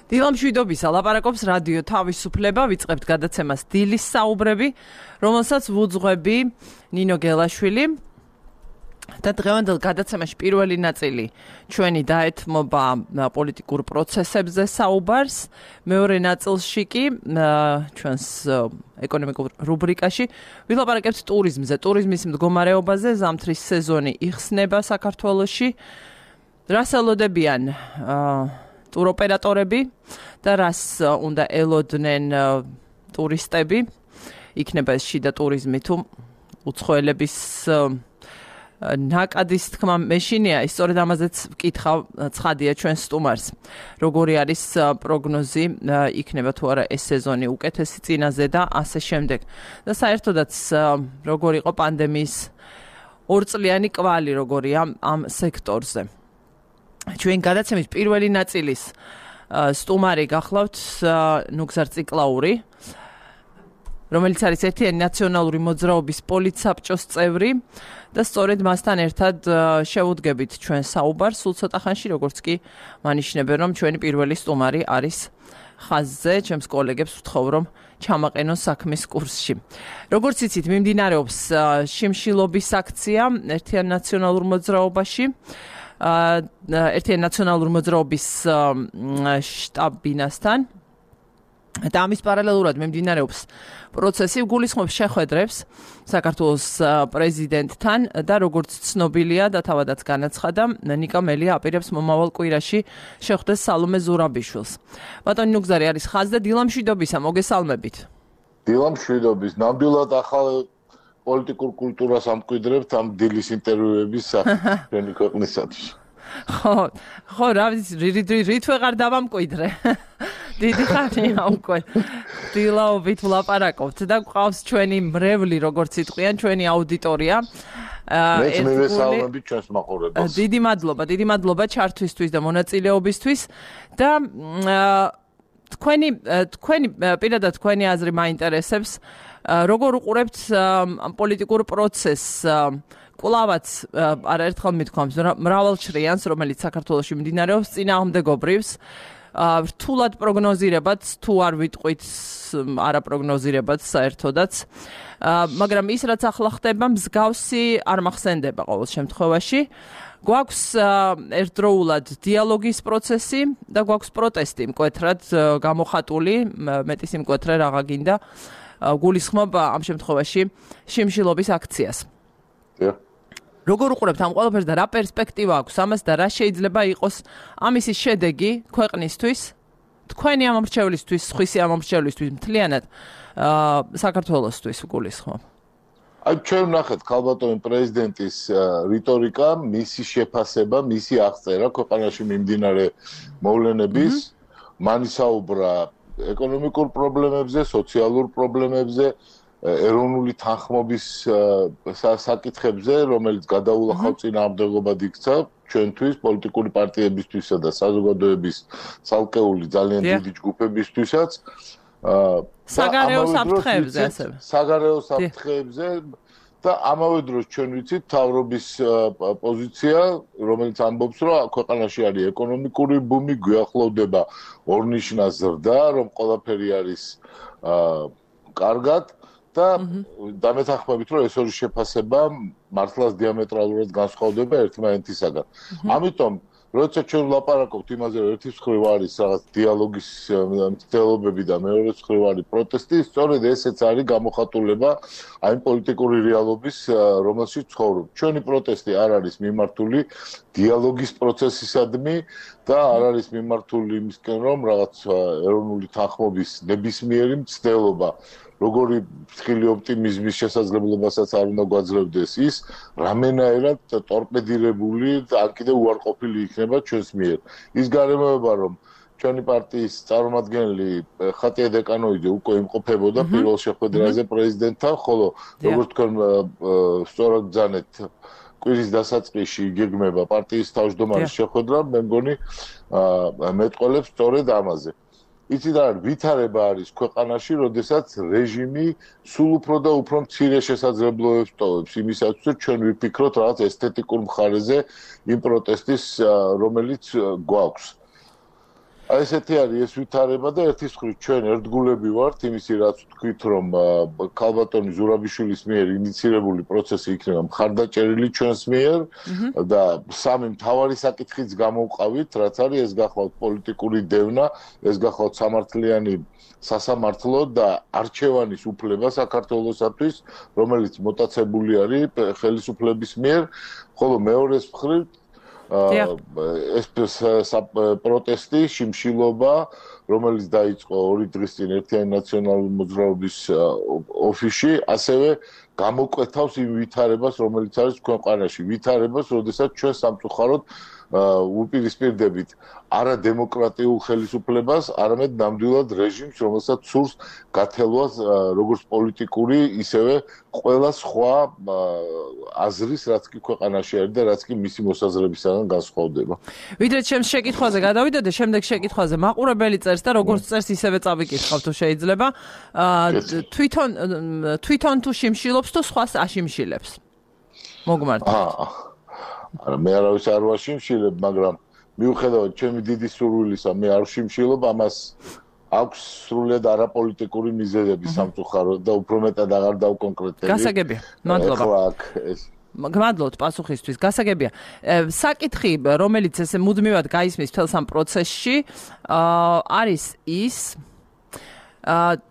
დილამშვიდობისა ლაპარაკობს რადიო თავისუფლება, ვიწყებთ გადაცემას დილის საუბრები, რომელსაც ვუძღვები ნინო გელაშვილი. და დღევანდელ გადაცემაში პირველი ნაწილი ჩვენი დაეთმობა პოლიტიკურ პროცესებზე საუბარს, მეორე ნაწილში კი ჩვენს ეკონომიკურ რუბრიკაში ვილაპარაკებთ ტურიზმზე, ტურიზმის მდგომარეობაზე, ზამთრის სეზონი იხსნება საქართველოში. რას ელოდებიან ტუროპერატორები და რას უნდა ელოდნენ ტურისტები, იქნება ეს შიდა ტურიზმი თუ უცხოელების ნაკადის თქმა მეშინია, სწორედ ამაზეც ვკითხავ ცხადია ჩვენ სტუმარს. როგორი არის პროგნოზი, იქნება თუ არა ეს სეზონი უკეთესი წინაზე და ასე შემდეგ. და საერთოდაც როგორი იყო პანდემიის ორწლიანი კვალი, როგორია ამ სექტორზე. ჩვენ გადაცემის პირველი ნაწილის სტუმარი გახლავთ ნუგზარ ციკლაური, რომელიც არის ერთიანი ნაციონალური მოძრაობის პოლიტსაბჭოს წევრი და სწორედ მასთან ერთად შევუდგებით ჩვენ საუბარს სულ ცოტა ხანში, როგორც კი მანიშნებენ, რომ ჩვენი პირველი სტუმარი არის ხაზზე, ჩემს კოლეგებს ვთხოვ, რომ ჩამაყენონ საქმის კურსში. როგორც იცით, მიმდინარეობს შიმშილობის აქცია ერთიან ნაციონალურ მოძრაობაში. ერთიან ნაციონალური მოძრაობის შტაბ-ბინასთან და ამის პარალელურად მიმდინარეობს პროცესი, გულისხმობს შეხვედრებს საქართველოს პრეზიდენტთან და როგორც ცნობილია და თავადაც განაცხადა, ნიკა მელია აპირებს მომავალ კვირაში შეხვდეს სალომე ზურაბიშვილს. ბატონი ნუგზარი არის ხაზზე, დილამშვიდობისა, მოგესალმებით. დილამშვიდობის, ნამდვილად ახალ პოლიტიკურ კულტურას ამკვიდრებთ ამ დილის ინტერვიუების ჩვენი ქვეყნისათვის. ხო, რა რით ვეღარ დავამკვიდრე. დიდი ხანია უკვე დილაობით ვლაპარაკობთ და გვყავს ჩვენი მრევლი, როგორც იტყვიან, ჩვენი აუდიტორია. მეც მივესალმებით ჩვენს მაყურებელს. დიდი მადლობა ჩართვისთვის და მონაწილეობისთვის და თქვენი პირადად თქვენი აზრი მაინტერესებს. როგორ უყურებთ პოლიტიკურ პროცესს, კვლავაც არაერთხელ მithქვამს მრავალჩრიანს, რომელიც საქართველოში მიმდინარეობს, წინააღმდეგობრივს, რთულად პროგნოზირებად, თუ არ ვიტყვით არაპროგნოზირებად საერთოდაც, მაგრამ ის რაც ახლა ხდება, მსგავსი არ მახსენდება ყოველ შემთხვევაში. გვაქვს ერთდროულად დიალოგის პროცესი და გვაქვს პროტესტი მკვეთრად გამოხატული, მეტის იმკვეთრე რაღა გინდა. გულისხმობ ამ შემთხვევაში შიმშილობის აქციას. როგორ უყურებთ ამ ყველაფერს და რა პერსპექტივა აქვს ამას და რა შეიძლება იყოს ამისი შედეგი ქვეყნისთვის, თქვენი ამომრჩევლისთვის, სხვისი ამომრჩევლისთვის, მთლიანად საქართველოსთვის გულისხმობ. ჩვენ ვნახეთ ქალბატონი პრეზიდენტის რიტორიკა, მისი შეფასება, მისი აღწერა ქვეყანაში მიმდინარე მოვლენების, მან ისაუბრა ეკონომიკურ პრობლემებზე, სოციალურ პრობლემებზე, ეროვნული თანხმობის საკითხებზე, რომელიც გადაულახავ წინააღმდეგობად იქცა ჩვენთვის, პოლიტიკური პარტიებისთვისა და საზოგადოების ცალკეული ძალიან დიდი ჯგუფებისთვისაც. საგარეო საფრთხეებზე ასევე. საგარეო საფრთხეებზე და ამავე დროს ჩვენ ვიცით მთავრობის პოზიცია, რომელიც ამბობს, რომ ქვეყანაში არის ეკონომიკური ბუმი, გვიახლოვდება ორნიშნა ზრდა, რომ ყველაფერი არის კარგად და დამეთანხმებით, რომ ეს ორი შეფასება მართლაც დიამეტრალურად განსხვავდება ერთმანეთისაგან. ამიტომ როცა ჩვენ ვლაპარაკობთ იმაზე, რომ ერთი მხრივ არის რაღაც დიალოგის მცდელობები და მეორე მხრივ არის პროტესტი, სწორედ ესეც არის გამოხატულება აი პოლიტიკური რეალობის, რომელშიც ცხოვრობ. ჩვენი პროტესტი არ არის მიმართული დიალოგის პროცესისადმი და არ არის მიმართული იმისკენ, რომ რაღაც ეროვნული თანხმობის ნებისმიერი მცდელობა როგორი ფრთხილი ოპტიმიზმის შესაძლებლობასაც არ უნდა გვაძლევდეს ის, რამენაერად ტორპედირებული და არ კიდევ უარყოფილი იქნება ჩვენს მიერ. ის გარემოება, რომ ჩვენი პარტიის წარმომადგენელი ხატია დეკანოიძე უკვე იმყოფებოდა პირველ შეხვედრაზე პრეზიდენტთან, ხოლო როგორც თქვენ სწორად ბრძანეთ, კვირის დასაწყისში იგეგმება პარტიის თავმჯდომარის შეხვედრა, მე მგონი მეტყველებს სწორედ ამაზე. იცით რა, ვითარება არის ქვეყანაში, როდესაც რეჟიმი სულ უფრო და უფრო მცირე შესაძლებლობებს ტოვებს იმისათვის, რომ ჩვენ ვიფიქროთ რაღაც ესთეტიკურ მხარეზე იმ პროტესტის, რომელიც გვაქვს. აი ესეთი არის ეს ვითარება და ერთის მხრივ ჩვენ ერთგულები ვართ იმისი რაც ვთქვით რომ ქალბატონი ზურაბიშვილის მიერ ინიცირებული პროცესი იქნება მხარდაჭერილი ჩვენს მიერ და სამი მთავარი საკითხიც გამოვყავით რაც არის ეს გახლავთ პოლიტიკური დევნა ეს გახლავთ სამართლიანი სასამართლო და არჩევანის უფლება საქართველოსათვის რომელიც მოტაცებული არის ხელისუფლების მიერ ხოლო მეორეს მხრივ ეს პროტესტი, შიმშილობა, რომელიც დაიწყო 2 დღის წინ ერთიანი ნაციონალური მოძრაობის ოფისში, ასევე გამოკვეთავს იმ ვითარებას, რომელიც არის ქვეყანაში, ვითარებას, როდესაც ჩვენ სამწუხაროდ უპირისპირდებით არა დემოკრატიულ ხელისუფლებას, არამედ ნამდვილად რეჟიმს, რომელსაც სურს გათელვას როგორც პოლიტიკური, ისევე ყველა სხვა აზრის, რაც კი ქვეყანაში არის და რაც კი მისი მოსაზრებისგან განსხვავდება. ვიდრე ჩემს შეკითხვაზე გადავიდოდე, შემდეგ შეკითხვაზე მაყურებელი წერს და როგორც წერს, ისევე წავიკითხავ თუ შეიძლება. თვითონ თუ შიმშილობს თუ სხვას აშიმშილებს. მოგმართ. არა მე არავის არ ვაშიმშილებ, მაგრამ მიუხედავად ჩემი დიდი სურვილისა, მე არ ვშიმშილობ, ამას აქვს სრულიად არაპოლიტიკური მიზეზები სამწუხაროდ და უფრო მეტად აღარ დავკონკრეტები. გასაგებია. მადლობა. გმადლობთ პასუხისთვის. გასაგებია. საკითხი, რომელიც ესე მუდმივად გაისმის მთელ სამ პროცესში, არის ის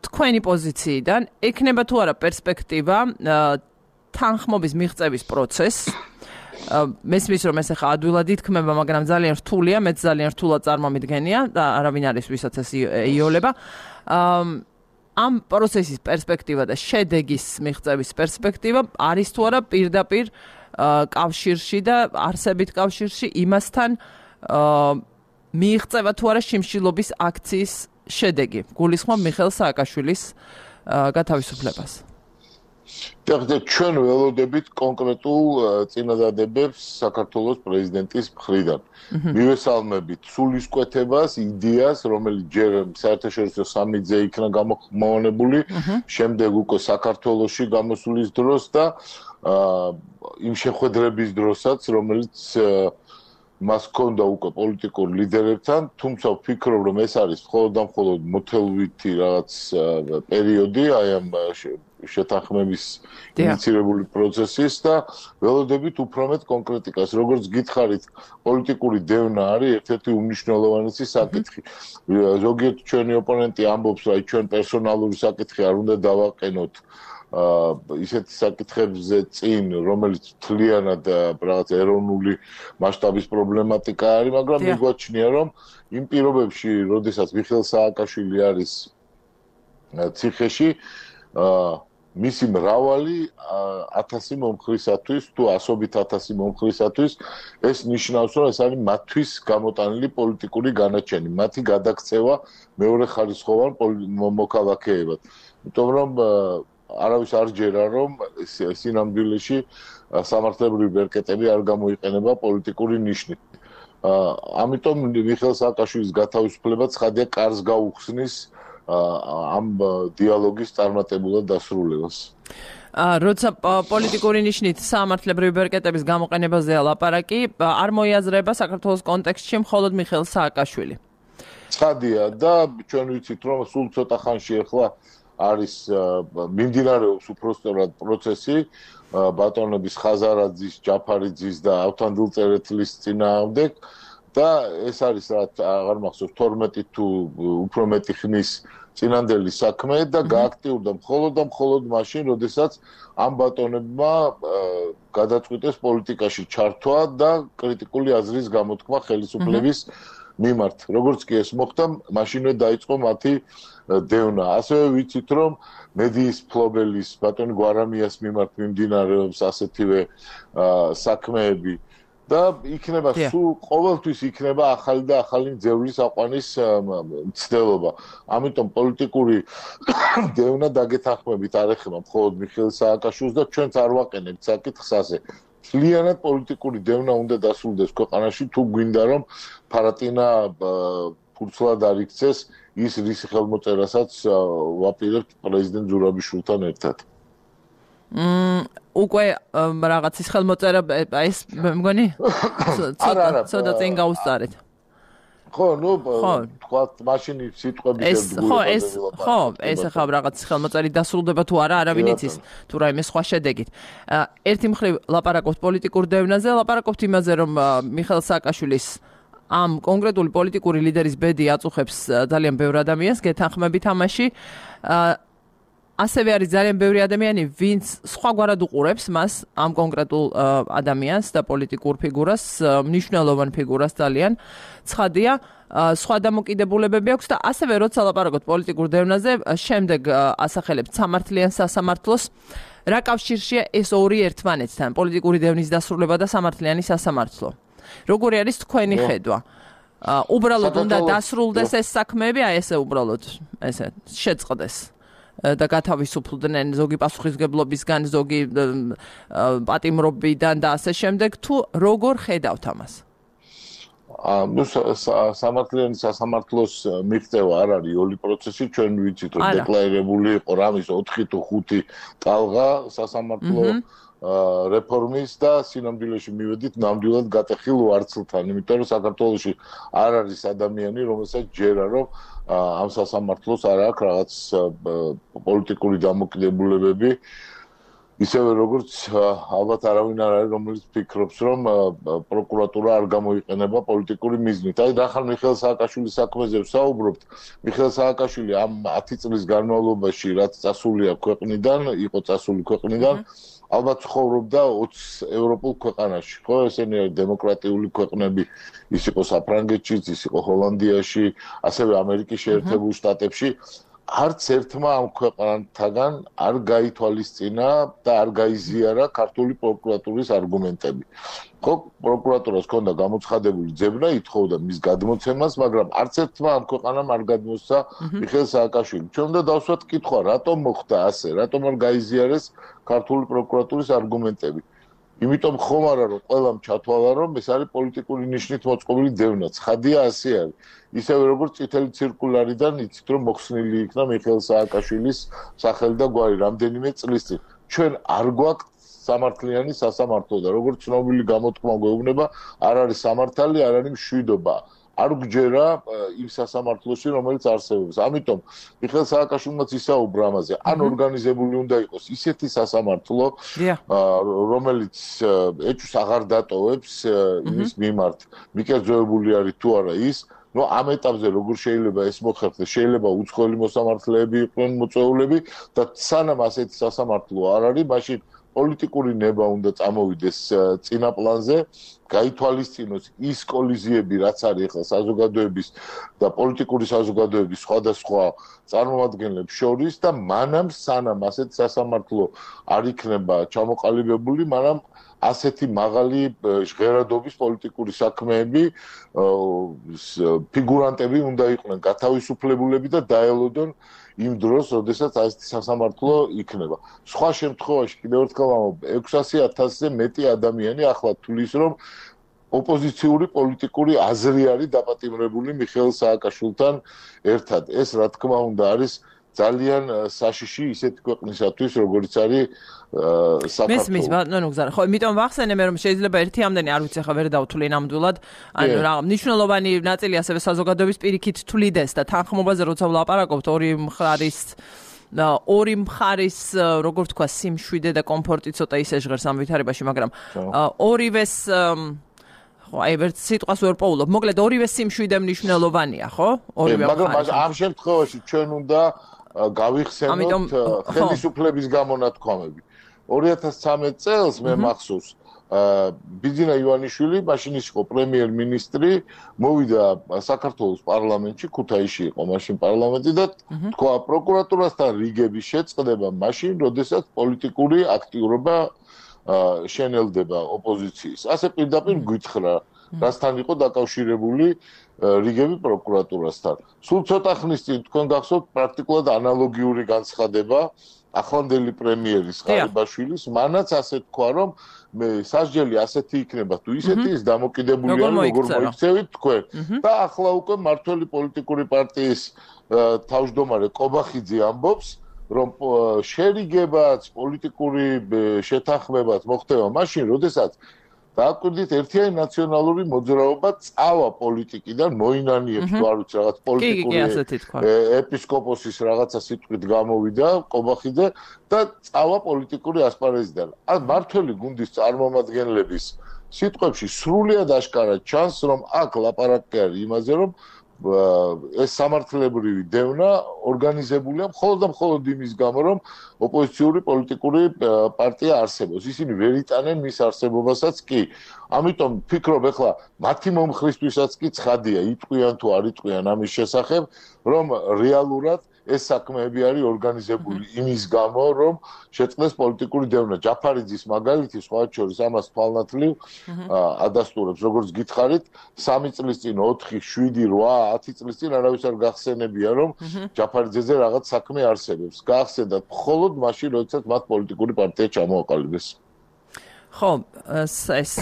თქვენი პოზიციიდან ექნება თუ არა პერსპექტივა თანხმობის მიღწევის პროცესს მესმის რომ ეს ახლა ადვილად ითქმება, მაგრამ ძალიან რთულია, მეც ძალიან რთულად წარმომიდგენია და არავინ არის ვისაც ეს იოლება. ამ პროცესის პერსპექტივა და შედეგის მიღწევის პერსპექტივა არის თუ არა პირდაპირ კავშირში და არსებით კავშირში იმასთან მიიღწევა თუ არა შიმშილობის აქციის შედეგი. გულისხმობ მიხეილ სააკაშვილის გათავისუფლებას. ჩვენ ველოდებით კონკრეტულ წინადადებებს საქართველოს პრეზიდენტის მხრიდან. მივესალმებით სულისკვეთებას, იდეას, რომელიც ჯერ საერთაშორისო სამიტზე იქნა გამოხმოვანებული, შემდეგ უკვე საქართველოში გამოსulis დროს და იმ შეხვედრების დროსაც, რომელიც მას ჰქონდა უკვე პოლიტიკურ ლიდერებთან, თუმცა ვფიქრობ, რომ ეს არის მხოლოდ და მხოლოდ მოთელვითი რაღაც პერიოდი, აი ამ შეთანხმების ინიცირებული პროცესის და ველოდებით უფრო მეტ კონკრეტიკას. როგორც გითხარით, პოლიტიკური დევნა არის ერთ-ერთი უმნიშვნელოვანესი საკითხი. ზოგიერთ ჩვენი ოპონენტი ამბობს, რომ ჩვენ პერსონალური საკითხი არ უნდა დავაყენოთ ისეთ საკითხებზე წინ, რომელიც თლიანად რაღაც ეროვნული მასშტაბის პრობლემატიკა არის, მაგრამ მიგვაჩნია, რომ იმ პირობებში, როდესაც მიხეილ სააკაშვილი არის ციხეში, მისი მრავალი 1000 მომხრისათვის თუ 100,000 მომხრისათვის ეს ნიშნავს, რომ ეს არის მათთვის გამოტანილი პოლიტიკური განაჩენი, მათი გადაქცევა მეორე ხარისხოვან მოქალაქეებად. იმიტომ რომ არავის არ ჯერა, რომ სინამდვილეში სამართლებრივი ბერკეტები არ გამოიყენება პოლიტიკური ნიშნით. ამიტომ მიხეილ სააკაშვილის გათავისუფლება ცხადია კარს გაუხსნის ამ დიალოგის წარმატებულად დასრულებას. როცა პოლიტიკური ნიშნით სამართლებრივი ბერკეტების გამოყენებაზეა ლაპარაკი, არ მოიაზრება საქართველოს კონტექსტში მხოლოდ მიხეილ სააკაშვილი. ცხადია და ჩვენ ვიცით, რომ სულ ცოტა ხანში ახლა არის მიმდინარეობს უпроსტორად პროცესი ბატონების ხაზარაძის, ჯაფარიძის და ავთანდილწერეთლის წინააღმდეგ და ეს არის რაც აღარ მახსოვს 12 თუ უფრო მეტი ხნის წინანდელი საქმე და გააქტიურდა მხოლოდ მაშინ, როდესაც ამ ბატონებმა გადაწყვიტეს პოლიტიკაში ჩართვა და კრიტიკული აზრის გამოთქმა ხელისუფლების მიმართ. როგორც კი ეს მოხდა, მაშინვე დაიწყო მათი დევნა. ასევე ვიცით, რომ მედიის ფლობელის ბატონ გვარამიას მიმართ მიმდინარეობს ასეთივე საქმეები და იქნება სულ ყოველთვის იქნება ახალი და ახალი ძევლის აყვანის მცდელობა. ამიტომ პოლიტიკური დევნა დაგეთანხმებით არ ეხება მხოლოდ მიხეილ სააკაშვილს და ჩვენც არ ვაყენებთ საკითხს ასე. მთლიანად პოლიტიკური დევნა უნდა დასრულდეს ქვეყანაში, თუ გვინდა რომ ფარატინა ფურცლად არ იქცეს ის რის ხელმოწერასაც ვაპირებთ პრეზიდენტ ზურაბიშვილთან ერთად. უკვე რაღაც ის ხელმოწერა ეს მე მგონი ცოტა წინ გაუსწარეთ. ხო, ნუ თქვა მაშინ სიტყვების ეს ახლა რაღაც ხელმოწერით დასრულდება თუ არა, არავინ იცის, თუ რაიმე სხვა შედეგით. ერთი მხრივ ლაპარაკობთ პოლიტიკურ დევნაზე, ლაპარაკობთ იმაზე, რომ მიხეილ სააკაშვილის ამ კონკრეტული პოლიტიკური ლიდერის ბედი აწუხებს ძალიან ბევრ ადამიანს, გეთანხმებით ამაში. ასევე არის ძალიან ბევრი ადამიანი, ვინც სხვაგვარად უყურებს მას ამ კონკრეტულ ადამიანს და პოლიტიკურ ფიგურას, მნიშვნელოვან ფიგურას ძალიან. ცხადია, სხვა დამოკიდებულებები აქვს და ასევე როცა ლაპარაკობთ პოლიტიკურ დევნაზე, შემდეგ ასახელებთ სამართლიან სასამართლოს. რა კავშირშია ეს ორი ერთმანეთთან, პოლიტიკური დევნის დასრულება და სამართლიანი სასამართლო? როგორი არის თქვენი ხედვა? უბრალოდ უნდა დასრულდეს ეს საქმეები, აი ესე უბრალოდ ესე შეწყდეს. და გათავისუფლდნენ ზოგი პასუხისმგებლობისგან, ზოგი პატიმრობიდან და ასე შემდეგ, თუ როგორ ხედავთ ამას? ნუ სამართლიანი სასამართლოს მიღწევა არ არის ოლი პროცესი, ჩვენ ვიცით, რომ დეკლარირებული იყო რამის 4 თუ 5 ტალღა სასამართლო რეფორმის და სინამდვილეში მივედით ნამდვილად გატეხილ ვარცხლთან, იმიტომ რომ საქართველოში არ არის ადამიანი, რომელსაც ჯერა რომ ამ სასამართლოს არ აქვს რაღაც პოლიტიკური დამოკიდებულებები, ისევე როგორც ალბათ არავინ არ არის, რომელიც ფიქრობს, რომ პროკურატურა არ გამოიყენება პოლიტიკური მიზნით. აი, ნახარ მიხეილ სააკაშვილის საქმეზე ვსაუბრობთ. მიხეილ სააკაშვილი ამ 10 წლის განმავლობაში, რაც წასულია ქვეყნიდან, იყო წასული ქვეყნიდან, ალბათ ცხოვრობდა 20 ევროპულ ქვეყანაში, ხო? ესენი არის დემოკრატიული ქვეყნები, ის იყო საფრანგეთშიც, ის იყო ჰოლანდიაში, ასევე ამერიკის შეერთებულ შტატებში. არც ერთმა ამ ქვეყანთაგან არ გაითვალისწინა და არ გაიზიარა ქართული პროკურატურის არგუმენტები. ხო, პროკურატურას ჰქონდა გამოცხადებული ძებნა, ითხოვდა მის გადმოცემას, მაგრამ არც ერთმა ამ ქვეყანამ არ გადმოსცა მიხეილ სააკაშვილი. ჩვენ უნდა დავსვათ კითხვა, რატომ მოხდა ასე, რატომ არ გაიზიარეს ქართული პროკურატურის არგუმენტები. იმიტომ ხომ არა რომ ყველამ ჩათვალა რომ ეს არის პოლიტიკური ნიშნით მოწყობილი დევნა. ცხადია ასე არის. ისევე როგორც წითელი ცირკულარიდან იცით რომ მოხსნილი იქნა მიხეილ სააკაშვილის სახელი და გვარი რამდენიმე წლის წინ. ჩვენ არ გვაქვს სამართლიანი სასამართლო და როგორც ცნობილი გამოთქმა გვეუბნება, არ არის სამართალი, არ არის მშვიდობა. არ გჯერა იმ სასამართლოში, რომელიც არსებობს. ამიტომ მიხეილ სააკაშვილმაც ისაუბრა ამაზე. ან ორგანიზებული უნდა იყოს ისეთი სასამართლო, რომელიც ეჭვს აღარ დატოვებს იმის მიმართ, მიკერძოებული არის თუ არა ის. ნუ ამ ეტაპზე როგორ შეიძლება ეს მოხერხდეს? შეიძლება უცხოელი მოსამართლეები იყვნენ მოწვეულები და სანამ ასეთი სასამართლო არ არის, მაშინ პოლიტიკური ნება უნდა წამოვიდეს წინა პლანზე, გაითვალისწინოს ის კოლიზიები, რაც არის ახლა საზოგადოების და პოლიტიკური საზოგადოების სხვადასხვა წარმომადგენლებს შორის და მანამ სანამ ასეთ სასამართლო არ იქნება ჩამოყალიბებული, მანამ ასეთი მაღალი ჟღერადობის პოლიტიკური საქმეები ფიგურანტები უნდა იყვნენ გათავისუფლებულები და დაელოდონ იმ დროს, როდესაც ასეთი სასამართლო იქნება. სხვა შემთხვევაში კიდევ ერთხელ ამბობ, 600,000-ზე მეტი ადამიანი ახლა თulis რომ ოპოზიციური პოლიტიკური აზრი არის დაპატიმრებული მიხეილ სააკაშვილთან ერთად. ეს რა თქმა უნდა არის ძალიან საშიში ისეთი ქვეყნისათვის, როგორც არის საქართველო. მესმის, ბატონო გზარა. ხო, იმიტომ ვახსენე მე რომ შეიძლება ერთი ამდენი არ ვიცი ახლა ვერ დავთვლი ნამდვილად. ანუ რა მნიშვნელოვანი ნაწილი ასევე საზოგადოების პირიქით თვლიდეს და თანხმობაზე როცა ვლაპარაკობთ ორი მხარის, როგორ თქვა, სიმშვიდე და კომფორტი ცოტა ისე ჟღერს ამ ვითარებაში, მაგრამ ორივეს ხო, აი ვერც სიტყვას ვერ პოულობ. მოკლედ ორივე სიმშვიდე მნიშვნელოვანია, ხო? ორივე მხარი. მაგრამ ამ შემთხვევაში ჩვენ უნდა გავიხსენოთ ხელისუფლების გამონათქვამები. 2013 წელს მე მახსოვს ბიძინა ივანიშვილი, მაშინ ის იყო პრემიერ-მინისტრი, მოვიდა საქართველოს პარლამენტში, ქუთაისში იყო მაშინ პარლამენტი და თქვა პროკურატურასთან რიგების შეწყდება მაშინ, როდესაც პოლიტიკური აქტიურობა შენელდება ოპოზიციის. ასე პირდაპირ გითხრა, რასთან იყო დაკავშირებული რიგები პროკურატურასთან. სულ ცოტა ხნის წინ თქვენ გახსოვთ პრაქტიკულად ანალოგიური განცხადება ახლანდელი პრემიერის ღარიბაშვილის, მანაც ასე თქვა, რომ მე სასჯელი ასეთი იქნება თუ ისეთი ის დამოკიდებული არის როგორ მოიქცევით თქვენ. და ახლა უკვე მართველი პოლიტიკური პარტიის თავმჯდომარე კობახიძე ამბობს, რომ შერიგებაც პოლიტიკური შეთანხმებაც მოხდება მაშინ, როდესაც დააკვირდით ერთიანი ნაციონალური მოძრაობა წავა პოლიტიკიდან მოინანიებს თუ არ ვიცი რაღაც პოლიტიკური ეპისკოპოსის რაღაცა სიტყვით გამოვიდა ყობახიძე და წავა პოლიტიკური ასპარეზიდან. ან მართველი გუნდის წარმომადგენლების სიტყვებში სრულიად აშკარად ჩანს, რომ აქ ლაპარაკი არის იმაზე, რომ ეს სამართლებრივი დევნა ორგანიზებულია მხოლოდ და მხოლოდ იმის გამო, რომ ოპოზიციური პოლიტიკური პარტია არსებობს. ისინი ვერ იტანენ მის არსებობასაც კი. ამიტომ ფიქრობ ახლა მათი მომხრისთვისაც კი ცხადია, იტყვიან თუ არ იტყვიან ამის შესახებ, რომ რეალურად ეს საქმეები არის ორგანიზებული იმის გამო, რომ შეწყდეს პოლიტიკური დევნა. ჯაფარიძის მაგალითი სხვათა შორის ამას თვალნათლივ ადასტურებს, როგორც გითხარით, 3 წლის წინ, 4, 7, 8, 10 წლის წინ არავის არ გახსენებია, რომ ჯაფარიძეზე რაღაც საქმე არსებობს. გაახსენდათ მხოლოდ მაშინ, როდესაც მათ პოლიტიკური პარტია ჩამოაყალიბეს. ხო, ეს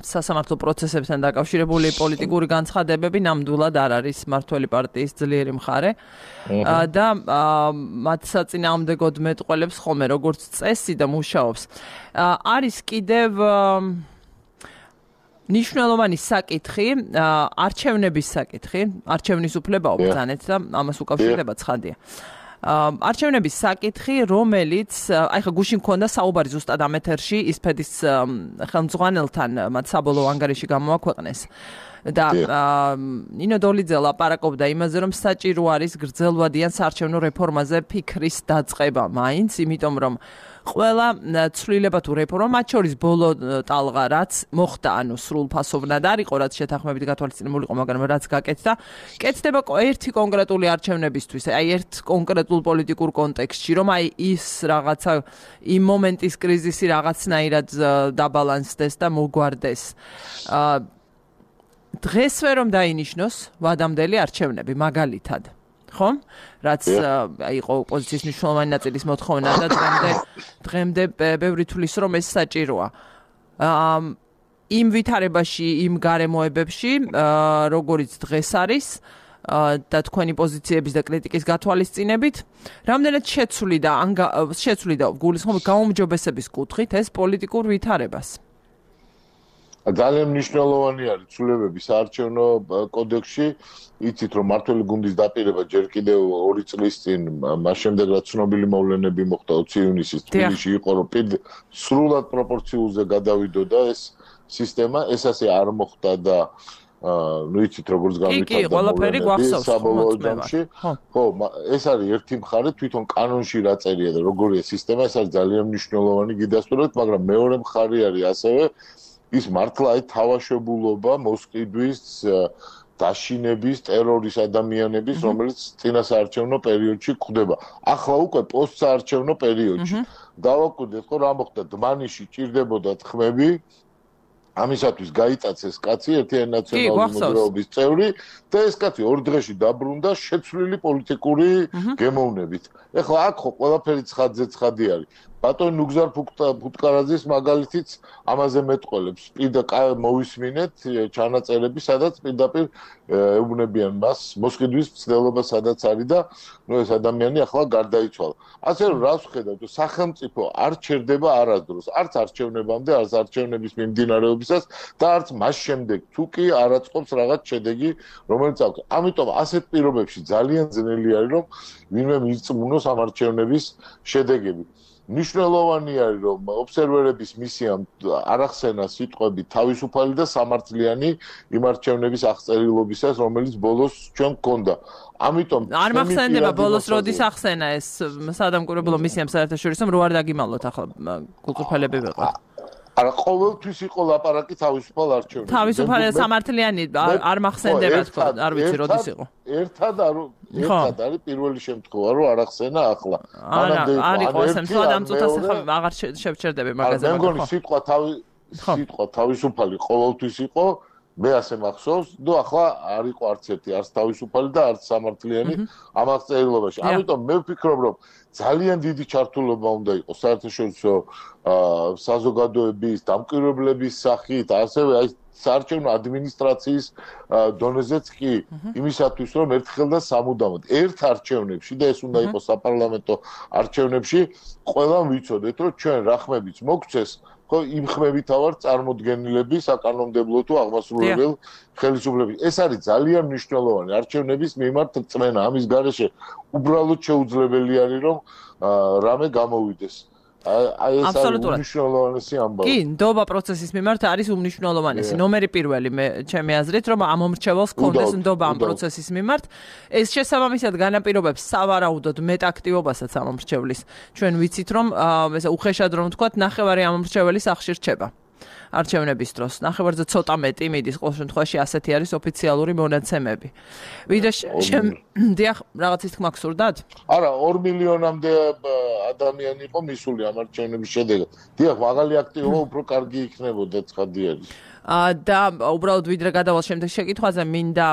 სასამართლო პროცესებთან დაკავშირებული პოლიტიკური განცხადებები ნამდვილად არ არის მართველი პარტიის ძლიერი მხარე და მათ საწინააღმდეგოდ მეტყველებს ხოლმე როგორც წესი და მუშაობს. არის კიდევ ნიშნულოვანი საკითხი, არჩევნების საკითხი, არჩევნის უფლება უბრძანეთ და ამას უკავშირდება ცხადია. არჩევნების საკითხი, რომელიც აი ხა გუშინ მქონდა საუბარი ზუსტად ამ ეთერში ისფედის ხელმძღვანელთან, მათ საბოლოო ანგარიში გამოაქვეყნეს. და ნინო დოლიძე ლაპარაკობდა იმაზე, რომ საჭირო არის გრძელვადიან საარჩევნო რეფორმაზე ფიქრის დაწყება მაინც, იმიტომ რომ ყველა ცვლილება თუ რეფორმა, მათ შორის ბოლო ტალღა რაც მოხდა, ანუ სრულფასოვნად არ იყო, რაც შეთანხმებით გათვალისწინებული იყო, მაგრამ რაც გაკეთდა, კეთდება ერთი კონკრეტული არჩევნებისთვის, აი ერთ კონკრეტულ პოლიტიკურ კონტექსტში, რომ აი ის რაღაცა იმ მომენტის კრიზისი რაღაცნაირად დაბალანსდეს და მოგვარდეს. დღესვე რომ დაინიშნოს ვადამდელი არჩევნები მაგალითად. ხო? რაც იყო ოპოზიციის მნიშვნელოვანი ნაწილის მოთხოვნა და დღემდე ბევრი თვლის რომ ეს საჭიროა. იმ ვითარებაში, იმ გარემოებებში, როგორიც დღეს არის და თქვენი პოზიციების და კრიტიკის გათვალისწინებით, რამდენად შეცვლიდა გულისხმობ გაუმჯობესების კუთხით ეს პოლიტიკურ ვითარებას. ძალიან მნიშვნელოვანი არის ცვლილებები საარჩევნო კოდექსში. იცით რომ მართველი გუნდის დაპირება ჯერ კიდევ 2 წლის წინ, მას შემდეგ რაც ცნობილი მოვლენები მოხდა 20 ივნისის თბილისში იყო, რომ სრულად პროპორციულზე გადავიდოდა ეს სისტემა, ეს ასე არ მოხდა და ნუ იცით როგორც გამიტარდა ყველაფერი გვახსოვს საბოლოო ჯამში. ხო, ეს არის ერთი მხარე, თვითონ კანონში რა წერია და როგორია სისტემა, ეს არის ძალიან მნიშვნელოვანი გიდასტურებთ, მაგრამ მეორე მხარე არის ასევე ის მართლა აი თავაშებულობა მოსყიდვის დაშინების ტერორის ადამიანების, რომელიც წინასაარჩევნო პერიოდში გვხდება. ახლა უკვე პოსტსაარჩევნო პერიოდში. დავაკვირდეთ, რომ რა მოხდა, დმანიში ჭირდებოდა თქმები, ამისათვის გაიტაცეს კაცი ერთიანი ნაციონალური მოძრაობის წევრი და ეს კაცი 2 დღეში დაბრუნდა შეცვლილი პოლიტიკური გემოვნებით. ეხლა აქ ხო ყველაფერი ცხადზე არის. ბატონ ნუგზარ ფუტკარაძის მაგალითიც ამაზე მეტყოლებს. მოვისმინეთ ჩანაწერები, სადაც პირდაპირ ეუბნებიან მას მოსყიდვის მცდელობა სადაც არის და ნუ ეს ადამიანი ახლა გარდაიცვალა. ასე რომ რას ვხედავთ, სახელმწიფო არ ჩერდება არასდროს, არც არჩევნებამდე, არც არჩევნების მიმდინარეობისას და არც მას შემდეგ, თუ კი არ აწყობს რაღაც შედეგი, რომელიც აქვს. ამიტომ ასეთ პირობებში ძალიან ძნელი არის, რომ ვინმე მირწმუნოს ამ არჩევნების შედეგები. მნიშვნელოვანი არის, რომ ობსერვერების მისიამ არ ახსენა სიტყვები თავისუფალი და სამართლიანი იმ არჩევნების აღწერილობისას, რომელიც ბოლოს ჩვენ გქონდა. ამიტომ არ მახსენდება ბოლოს როდის ახსენა ეს სადამკვირვებლო მისიამ საერთაშორისო, რომ არ დაგიმალოთ ახლა კულტურფელები ვიყავ. არა, ყოველთვის იყო ლაპარაკი თავისუფალ არჩევნებზე. თავისუფალი სამართლიანი არ მახსენდება თქო, არ ვიცი როდის იყო. ერთად არის პირველი შემთხვევა, რომ არ ახსენა ახლა. არ იყო ესე, მთლად ამ წუთას ახლა აღარ შევჩერდები მაგაზე. მე მგონი სიტყვა თავისუფალი ყოველთვის იყო, მე ასე მახსოვს, და ახლა არ იყო არც ერთი, არც თავისუფალი და არც სამართლიანი ამ აღწერილობაში. ამიტომ მე ვფიქრობ, რომ ძალიან დიდი ჩართულობა უნდა იყოს საერთაშორისო საზოგადოების, დამკვირვებლების სახით, ასევე აი საარჩევნო ადმინისტრაციის დონეზეც კი იმისათვის, რომ ერთხელ და სამუდამოდ ერთ არჩევნებში და ეს უნდა იყოს საპარლამენტო არჩევნებში, ყველამ ვიცოდეთ, რომ ჩვენ რა ხმებიც მოგცეს, ხო იმხმევით ავარ წარმოდგენილები საკანონმდებლო თუ აღმასრულებელ ხელისუფლების. ეს არის ძალიან მნიშვნელოვანი არჩევნების მიმართ წმენა. ამის გარეშე უბრალოდ შეუძლებელი არის რომ რამე გამოვიდეს. აი ეს არის უმნიშვნელოვანესი ამბავი. კი, ნდობა პროცესის მიმართ არის უმნიშვნელოვანესი. ნომერი პირველი მე ჩემი აზრით რომ ამომრჩეველს კონდეს ნდობა ამ პროცესის მიმართ. ეს შესაბამისად განაპირობებს სავარაუდოდ მეტ აქტივობასაც ამომრჩევლის. ჩვენ ვიცით რომ ესე უხეშად რომ ვთქვათ, ნახევარი ამომრჩეველი სახლში რჩება. არჩევნების დროს. ნახევარზე ცოტა მეტი მიდის, ყოველ შემთხვევაში ასეთი არის ოფიციალური მონაცემები. ვიდრე დიახ, რაღაცის თქმა გსურდათ? არა, 2 მილიონამდე ადამიანი იყო მისული ამ არჩევნების შედეგად. დიახ, მაღალი აქტივობა უფრო კარგი იქნებოდა, ცხადი არის. და უბრალოდ ვიდრე გადავალ შემდეგ შეკითხვაზე მინდა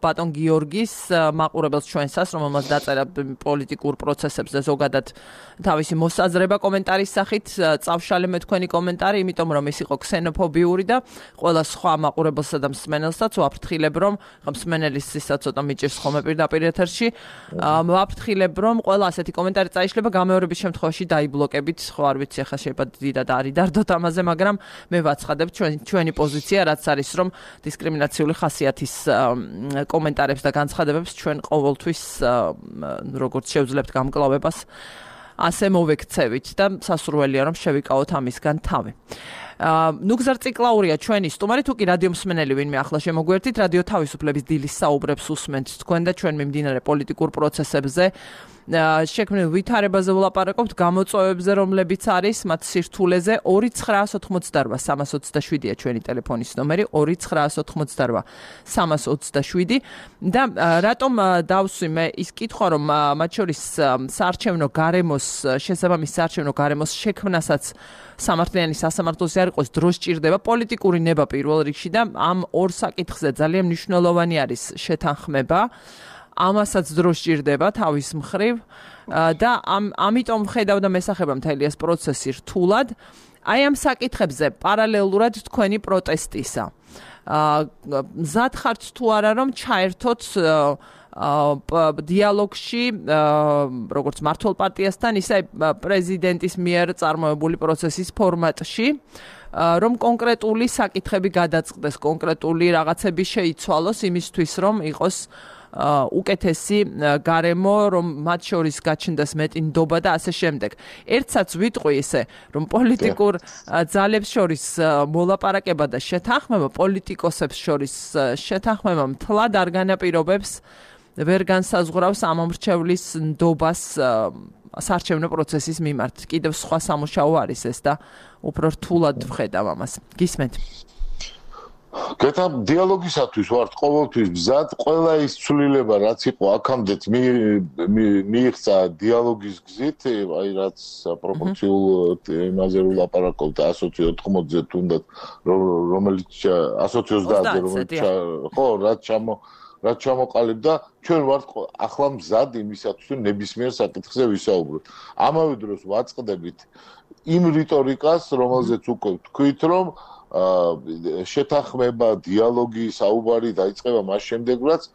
ბატონ გიორგის მაყურებელს ჩვენსას, რომელმაც დაწერა პოლიტიკურ პროცესებზე ზოგადად თავისი მოსაზრება კომენტარის სახით, წავშალე მე თქვენი კომენტარი, იმიტომ რომ ის იყო ქსენოფობიური და ყველა სხვა მაყურებელსა და მსმენელსაც ვაფრთხილებ რომ მსმენელის ისაც ცოტა მიჭირს ხოლმე პირდაპირ ეთერში, ვაფრთხილებ რომ ყველა ასეთი კომენტარი წაიშლება გამეორების შემთხვევაში დაიბლოკებით, ხო არ ვიცი ახლა შეიძლება დიდად არის დარდოთ ამაზე, მაგრამ მე ვაცხადებ ჩვენი პოზიცია რაც არის რომ დისკრიმინაციული ხასიათის კომენტარებს და განცხადებებს ჩვენ ყოველთვის როგორც შევძლებთ გამკლავებას ასე მოვექცევით და სასურველია რომ შევიკავოთ ამისგან თავი. ნუგზარ ციკლაურია ჩვენი სტუმარი, თუ კი რადიო მსმენელი ვინმე ახლა შემოგვერთით, რადიო თავისუფლების დილის საუბრებს უსმენთ თქვენ და ჩვენ მიმდინარე პოლიტიკურ პროცესებზე შექმნილ ვითარებაზე ვლაპარაკობთ, გამოწვევებზე, რომლებიც არის მათ სირთულეზე 2988327-ია ჩვენი ტელეფონის ნომერი 2988327 და რატომ დავსვი მე ის კითხვა რომ მათ შორის საარჩევნო გარემოს შესაბამის საარჩევნო გარემოს შექმნასაც სამართლიანი სასამართლოსი არ იყოს დრო სჭირდება პოლიტიკური ნება პირველ რიგში და ამ ორ საკითხზე ძალიან მნიშვნელოვანი არის შეთანხმება. ამასაც დრო სჭირდება თავის მხრივ და ამიტომ ხედავ და მესახება მთელი ეს პროცესი რთულად. აი ამ საკითხებზე პარალელურად თქვენი პროტესტისა. მზად ხართ თუ არა რომ ჩაერთოთ დიალოგში როგორც მართლ პარტიასთან, ისე პრეზიდენტის მიერ წარმოებული პროცესის ფორმატში, რომ კონკრეტული საკითხები გადაწყდეს, კონკრეტული რაღაცები შეიცვალოს იმისთვის, რომ იყოს უკეთესი გარემო, რომ მათ შორის გაჩნდეს მეტი ნდობა და ასე შემდეგ. ერთსაც ვიტყვი ისე, რომ პოლიტიკურ ძალებს შორის მოლაპარაკება და შეთანხმება, პოლიტიკოსებს შორის შეთანხმება მთლად არ განაპირობებს, ვერ განსაზღვრავს ამომრჩევლის ნდობას საარჩევნო პროცესის მიმართ. კიდევ სხვა სამუშაო არის ეს და უფრო რთულად ვხედავ ამას. გისმენთ? გეთა დიალოგისათვის ვართ ყოველთვის მზად, ყველა ის ცვლილება რაც იყო აქამდეც მიიღწა დიალოგის გზით, აი რაც პროპორციულ იმაზე ვლაპარაკობთ 180-ზე თუნდაც რომელიც 130-ზე რომელიც ხო რაც ჩამოყალიბდა, ჩვენ ვართ ახლა მზად იმისათვის რომ ნებისმიერ საკითხზე ვისაუბროთ. ამავე დროს ვაწყდებით იმ რიტორიკას, რომელზეც უკვე ვთქვით, რომ შეთანხმება, დიალოგი, საუბარი დაიწყება მას შემდეგ, რაც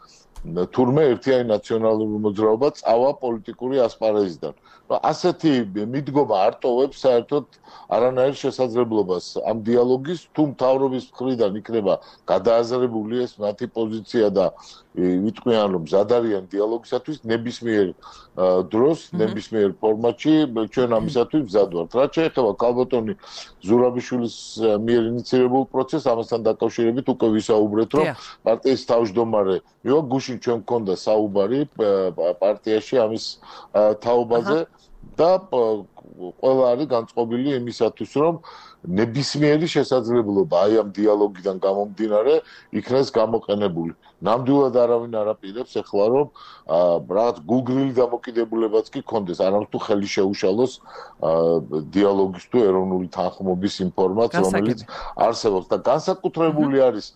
თურმე ერთიანი ნაციონალური მოძრაობა წავა პოლიტიკური ასპარეზიდან. ასეთი მიდგომა არ ტოვებს საერთოდ არანაირ შესაძლებლობას ამ დიალოგის, თუ მთავრობის მხრიდან იქნება გადააზრებული ეს მათი პოზიცია და ვიტყვიან რომ მზად არიან დიალოგისათვის ნებისმიერ დროს, ნებისმიერ ფორმატში ჩვენ ამისათვის მზად ვართ. რაც შეეხება ქალბატონი ზურაბიშვილის მიერ ინიციირებულ პროცესს, ამასთან დაკავშირებით უკვე ვისაუბრეთ, რომ პარტიის თავმჯდომარე მივა გუშინ ჩვენ გქონდა საუბარი პარტიაში ამის თაობაზე და ყველა არის განწყობილი იმისათვის, რომ ნებისმიერი შესაძლებლობა აი ამ დიალოგიდან გამომდინარე იქნეს გამოყენებული. ნამდვილად არავინ არ აპირებს ეხლა რომ რაღაც გულგრილი დამოკიდებულებაც კი კონდეს, არამედ თუ ხელი შეუშალოს დიალოგის თუ ეროვნული თანხმობის იმ ფორმატს, რომელიც არსებობს და განსაკუთრებული არის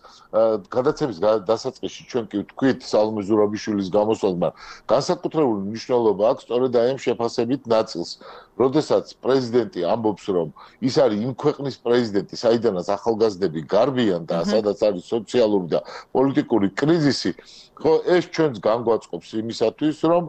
გადაცემის დასაწყისში ჩვენ კი ვთქვით სალომე ზურაბიშვილის გამოსვლამ, განსაკუთრებული მნიშვნელობა აქვს სწორედ აი ამ შეფასებით ნაწილს, როდესაც პრეზიდენტი ამბობს, რომ ის არის იმ ქვეყნის პრეზიდენტი, საიდანაც ახალგაზრდები გარბიან და სადაც არის სოციალური და პოლიტიკური კრიზისი, ხო, ეს ჩვენს განგვაწყობს იმისათვის, რომ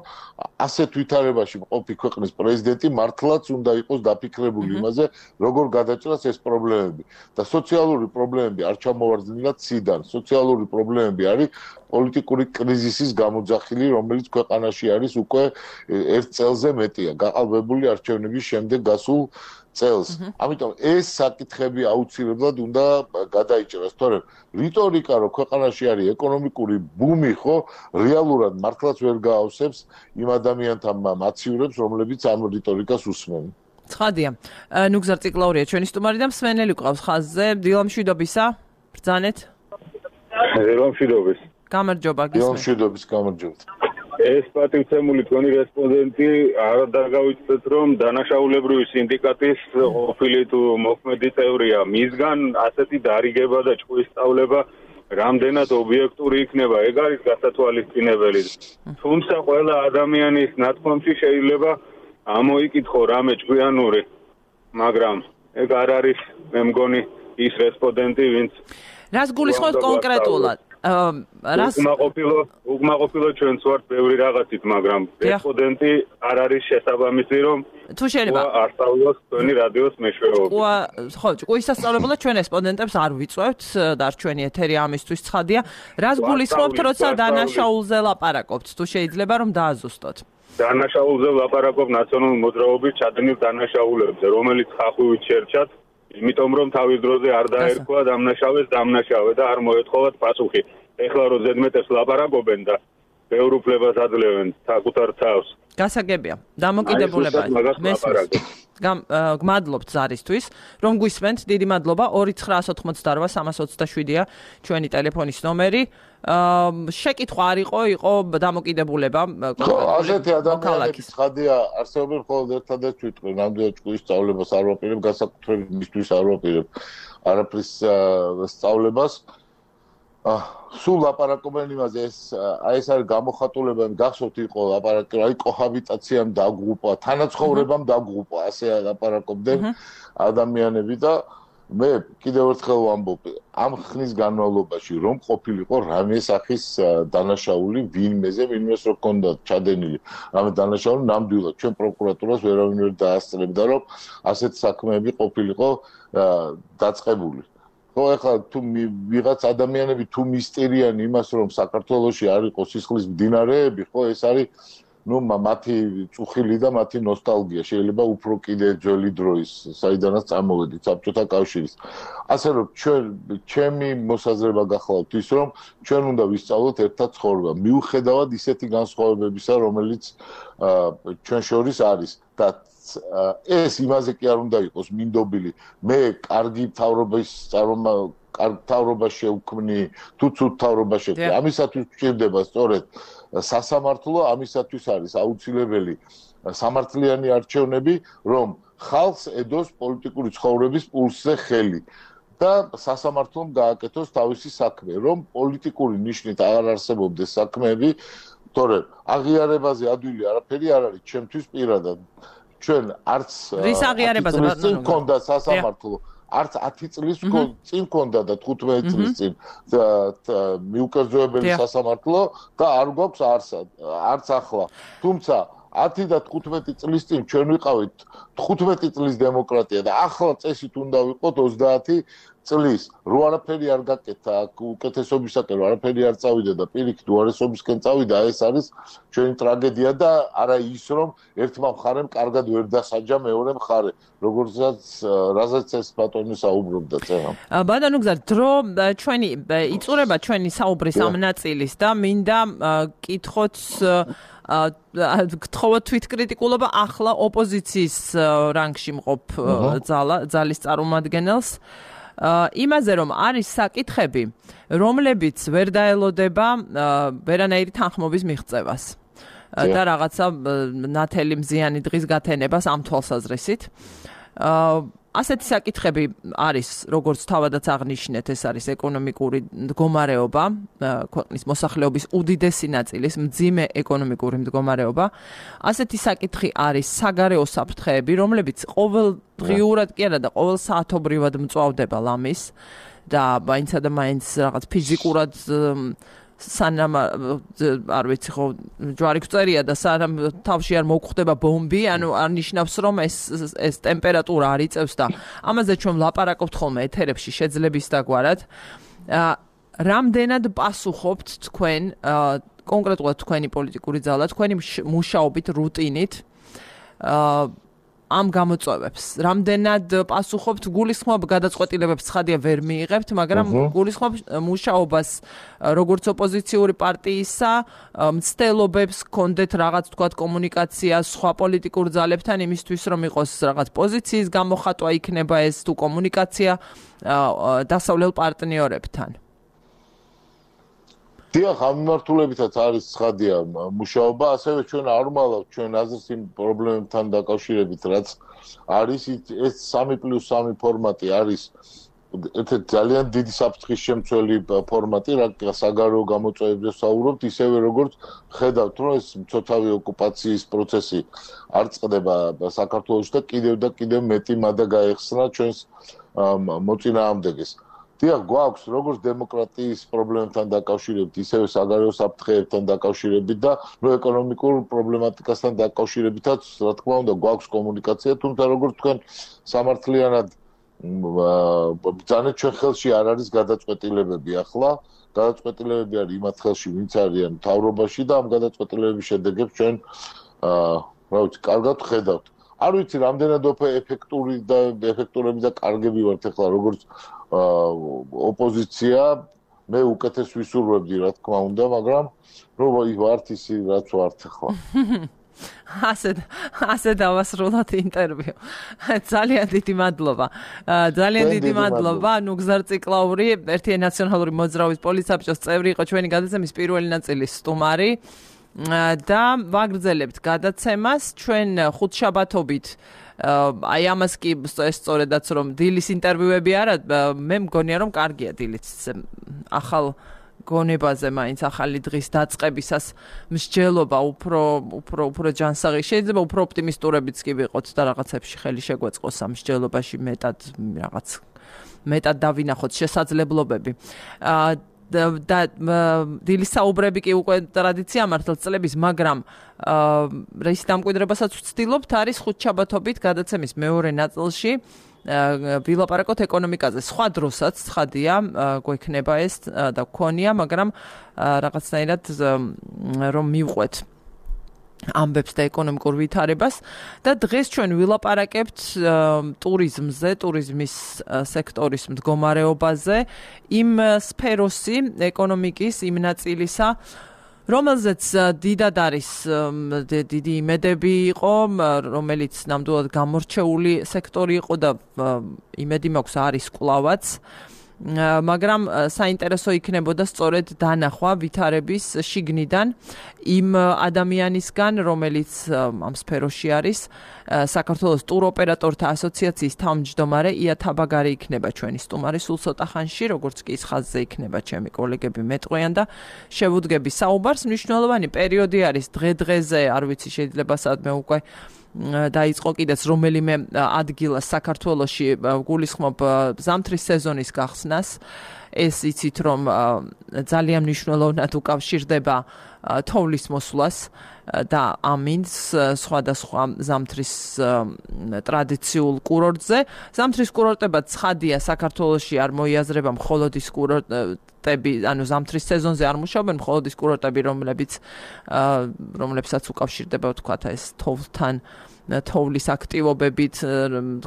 ასეთ ვითარებაში მყოფი ქვეყნის პრეზიდენტი მართლაც უნდა იყოს დაფიქრებული იმაზე, როგორ გადაჭრას ეს პრობლემები. და სოციალური პრობლემები არ ჩამოვარდნილად ციდან. სოციალური პრობლემები არის პოლიტიკური კრიზისის გამოძახილი, რომელიც ქვეყანაში არის უკვე 1 წელზე მეტია, გაყალბებული არჩევნების შემდეგ გასულ წელს. ამიტომ ეს საკითხები აუცილებლად უნდა გადაიჭრას, თორემ რიტორიკა, რომ ქვეყანაში არის ეკონომიკური ბუმი, ხო, რეალურად მართლაც ვერ გაავსებს იმ ადამიანთა მაცივრებს, რომლებიც ამ რიტორიკას უსმენ. ცხადია. ნუგზარ ციკლაურია ჩვენი სტუმარი და მსმენელი ყავს ხაზზე. დილამშვიდობისა. ბრძანეთ. დილამშვიდობის. გამარჯობა, გისმენთ. დილამშვიდობის, გამარჯობა. ეს პატივცემული თქვენი რესპონდენტი არ დაგავიწყდეთ, რომ დანაშაულებრივი სინდიკატის ყოფილი თუ მოქმედი წევრია. მისგან ასეთი დარიგება და ჭკუის სწავლება რამდენად ობიექტური იქნება, ეგ არის გასათვალისწინებელი. თუმცა ყველა ადამიანის ნათქვამში შეიძლება ამოიკითხო რამე ჭკვიანური, მაგრამ ეგ არ არის, მე მგონი, ის რესპონდენტი, ვინც რას გულისხმობთ კონკრეტულად? უკმაყოფილო ჩვენც ვართ ბევრი რაღაცით, მაგრამ რესპონდენტი არ არის შესაბამისი, რომ თუ შეიძლება არ სწავლოს თქვენი რადიოს მეშვეობით. ხო, ჭკუის სასწავლებლად ჩვენ რესპონდენტებს არ ვიწვევთ, დარჩენი ეთერი ამისთვის ცხადია. რას გულისხმობთ, როცა დანაშაულზე ლაპარაკობთ? თუ შეიძლება რომ დააზუსტოთ. დანაშაულზე ლაპარაკობ ნაციონალური მოძრაობის ჩადენილ დანაშაულებზე, რომელიც ხახვივით შერჩათ, იმიტომ რომ თავის დროზე არ დაერქვა დამნაშავე და არ მოეთხოვათ პასუხი. ეხლა რო ზედმეტებს ლაპარაკობენ და ბევრ უფლებას აძლევენ საკუთარ თავს. გასაგებია. დამოკიდებულება. გმადლობთ ზარისთვის, რომ გვისმენთ. დიდი მადლობა. 2988327-ია ჩვენი ტელეფონის ნომერი. შეკითხვა არ იყო დამოკიდებულება. ხო, ასეთი ადამიანები ცხადია, არსებობენ მხოლოდ ერთადერთ ვიტყვი, ნამდვილად ჭკუის სწავლებას არ ვაპირებ, განსაკუთრებით მისთვის არ ვაპირებ არაფრის სწავლებას. სულ ლაპარაკობენ იმაზე, ეს არის გამოხატულება, გახსოვთ იყო ლაპარაკი, აი კოჰაბიტაციამ დაგღუპა, თანაცხოვრებამ დაგღუპა, ასე ლაპარაკობდნენ ადამიანები და მე კიდევ ერთხელ ვამბობ, ამ ხნის განმავლობაში რომ ყოფილიყო რამე სახის დანაშაული ვინმეს რო ჰქონდა ჩადენილი რამე დანაშაული, ნამდვილად ჩვენ პროკურატურას ვერავინ ვერ დაასწრებდა, რომ ასეთ საქმეები ყოფილიყო დაწყებული. ხო, ეხლა თუ ვიღაც ადამიანები თუ მისტერიან იმას, რომ საქართველოში არ იყოს სისხლის მდინარეები, ხო, ეს არის მათი წუხილი და მათი ნოსტალგია, შეიძლება უფრო კიდე ძველი დროის, საიდანაც წამოვედით საბჭოთა კავშირის. ასე რომ ჩემი მოსაზრება გახლავთ ის, რომ ჩვენ უნდა ვისწავლოთ ერთად ცხოვრება, მიუხედავად ისეთი განსხვავებებისა, რომელიც ჩვენ შორის არის და ეს იმაზე კი არ უნდა იყოს მინდობილი. მე კარგი თავრობა შევქმნი, თუ ცუდ თავრობა შევქმნი. ამისათვის გვჭირდება სწორედ სასამართლო, ამისათვის არის აუცილებელი სამართლიანი არჩევნები, რომ ხალხს ედოს პოლიტიკური ცხოვრების პულსზე ხელი და სასამართლომ გააკეთოს თავისი საქმე, რომ პოლიტიკური ნიშნით აღარ არსებობდეს საქმეები, თორემ აღიარებაზე ადვილი არაფერი არ არის ჩემთვის პირადად. ჩვენ არც რის აღიარებაზე მქონდა სასამართლო, არც 10 წლის წინ მქონდა და 15 წლის წინ მიუკერძოებელი სასამართლო და არ გვაქვს არც ახლა. თუმცა 10 და 15 წლის წინ ჩვენ ვიყავით 15 წლის დემოკრატია და ახლა წესით უნდა ვიყოთ 30 წლის. რო არაფერი არ გაკეთა, უკეთესობისაკენ არაფერი არ წავიდა და პირიქით უარესობისკენ წავიდა, ეს არის ჩვენი ტრაგედია და არა ის, რომ ერთმა მხარემ კარგად ვერ დასაჯა მეორე მხარე, რაზეც ეს ბატონი საუბრობდა წერამ. ბატონო გზა, დრო ჩვენი იწურება ჩვენი საუბრის ამ ნაწილის და მინდა კითხოთ გთხოვოთ თვითკრიტიკულობა ახლა ოპოზიციის რანგში მყოფ ძალის წარმომადგენელს. იმაზე რომ არის საკითხები, რომლებიც ვერ დაელოდება ვერანაირი თანხმობის მიღწევას და რაღაცა ნათელი მზიანი დღის გათენებას ამ თვალსაზრისით. ასეთი საკითხები არის, როგორც თავადაც აღნიშნეთ, ეს არის ეკონომიკური მდგომარეობა, ქვეყნის მოსახლეობის უდიდესი ნაწილის მძიმე ეკონომიკური მდგომარეობა. ასეთი საკითხი არის საგარეო საფრთხეები, რომლებიც ყოველდღიურად კი არა და ყოველ საათობრივად მწვავდება ლამის და მაინცა და მაინც რაღაც ფიზიკურად სანამ არ ვიცი ხო ჯვარი გწერია და სანამ თავში არ მოგხვდება ბომბი, ანუ არ ნიშნავს რომ ეს ტემპერატურა არ იწევს და ამაზე ჩვენ ვლაპარაკობთ ხოლმე ეთერებში შეძლების დაგვარად. რამდენად პასუხობთ თქვენ კონკრეტულად თქვენი პოლიტიკური ძალა, თქვენი მუშაობით, რუტინით ამ გამოწვევებს. რამდენად პასუხობთ გულისხმობ გადაწყვეტილებებს ცხადია ვერ მიიღებთ, მაგრამ გულისხმობ მუშაობას როგორც ოპოზიციური პარტიისა, მცდელობებს გქონდეთ რაღაც თქვათ კომუნიკაცია სხვა პოლიტიკურ ძალებთან იმისთვის რომ იყოს რაღაც პოზიციის გამოხატვა იქნება ეს თუ კომუნიკაცია დასავლელ პარტნიორებთან. დიახ, ამ მიმართულებითაც არის ცხადია მუშაობა, ასევე ჩვენ არ ვალავთ ჩვენ აზრს იმ პრობლემებთან დაკავშირებით, რაც არის ეს 3+3 ფორმატი არის ერთ-ერთი ძალიან დიდი საფრთხის შემცველი ფორმატი, რა საგარეო გამოწვევებზე ვსაუბრობთ, ისევე როგორც ხედავთ, რომ ეს მცოცავი ოკუპაციის პროცესი არ წყდება საქართველოში და კიდევ მეტი მადა გაეხსნა ჩვენს მოწინააღმდეგეს. დიახ, გვაქვს როგორც დემოკრატიის პრობლემებთან დაკავშირებით, ისევე საგარეო საფრთხეებთან დაკავშირებით და ეკონომიკურ პრობლემატიკასთან დაკავშირებითაც, რა თქმა უნდა, გვაქვს კომუნიკაცია, თუმცა როგორც თქვენ სამართლიანად ბრძანეთ, ჩვენ ხელში არ არის გადაწყვეტილებები ახლა. გადაწყვეტილებები არის იმათ ხელში, ვინც არიან მთავრობაში და ამ გადაწყვეტილებების შედეგებს ჩვენ რა ვიცი, კარგად ხედავთ. არ ვიცი, რამდენად ეფექტურები და კარგები ვართ ახლა, როგორც ოპოზიცია, მე უკეთეს ვისურვებდი, რა თქმა უნდა, მაგრამ რომ ვართ ისი, რაც ვართ ახლა. ასე დავასრულოთ ინტერვიუ. ძალიან დიდი მადლობა. ძალიან დიდი მადლობა. ნუგზარ ციკლაური, ერთიანი ნაციონალური მოძრაობის პოლიტსაბჭოს წევრი იყო ჩვენი გადაცემის პირველი ნაწილის სტუმარი. და ვაგრძელებთ გადაცემას ჩვენ ხუთშაბათობით აი ამას კი სწორედაც რომ დილის ინტერვიუები არა მე მგონია რომ კარგია დილიც ახალ გონებაზე მაინც ახალი დღის დაწყებისას მსჯელობა უფრო ჯანსაღი შეიძლება უფრო ოპტიმისტურებიც კი ვიყოთ და რაღაცებში ხელი შეგვეწყოს ამ მსჯელობაში მეტად დავინახოთ შესაძლებლობები და დილის საუბრები კი უკვე ტრადიცია მართლაც წლების, მაგრამ რისი დამკვიდრებასაც ვცდილობთ არის ხუთშაბათობით გადაცემის მეორე ნაწილში ვილაპარაკოთ ეკონომიკაზე. სხვა დროსაც ცხადია გვექნება ეს და გქონია, მაგრამ რაღაცნაირად რომ მივყვეთ ამბებს და ეკონომიკურ ვითარებას და დღეს ჩვენ ვილაპარაკებთ ტურიზმზე, ტურიზმის სექტორის მდგომარეობაზე, იმ სფეროსი ეკონომიკის იმ ნაწილისა, რომელზეც დიდად არის დიდი იმედები იყო, რომელიც ნამდვილად გამორჩეული სექტორი იყო და იმედი მაქვს არის კვლავაც. მაგრამ საინტერესო იქნებოდა სწორედ დანახვა ვითარების შიგნიდან იმ ადამიანისგან, რომელიც ამ სფეროში არის, საქართველოს ტუროპერატორთა ასოციაციის თავმჯდომარე ია თაბაგარი იქნება ჩვენი სტუმარი სულ ცოტა ხანში, როგორც კი ის ხაზზე იქნება ჩემი კოლეგები მეტყვიან და შევუდგები საუბარს. მნიშვნელოვანი პერიოდი არის დღე-დღეზე, არ ვიცი, შეიძლება სადმე უკვე დაიწყო კიდეც რომელიმე ადგილას საქართველოში გულისხმობ ზამთრის სეზონის გახსნას. ეს იცით რომ ძალიან მნიშვნელოვნად უკავშირდება თოვლის მოსვლას და ამინს სხვადასხვა ზამთრის ტრადიციულ კურორტზე. ზამთრის კურორტებად ცხადია საქართველოში არ მოიაზრება მხოლოდ ის კურორტები, ანუ ზამთრის სეზონზე არ მუშაობენ მხოლოდ ის კურორტები, რომლებსაც უკავშირდება თქვათ ეს თოვლთან თოვლის აქტივობებით,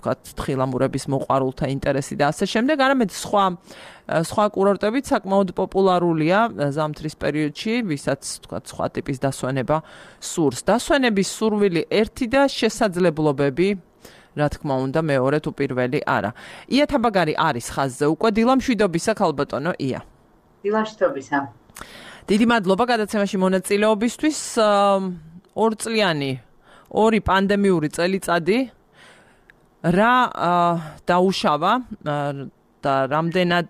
თქვათ თხილამურების მოყვარულთა ინტერესი და ასე შემდეგ, არამედ სხვა კურორტებიც საკმაოდ პოპულარულია ზამთრის პერიოდში, ვისაც თქვათ სხვა ტიპის დასვენება სურს. დასვენების სურვილი ერთი და შესაძლებლობები, რა თქმა უნდა, მეორე თუ პირველი არა. ია თაბაგარი არის ხაზზე უკვე. დილამშვიდობისა, ქალბატონო ია. დილამშვიდობისა. დიდი მადლობა გადაცემაში მონაწილეობისთვის. ორ პანდემიური წელიწადი რა დაუშავა და რამდენად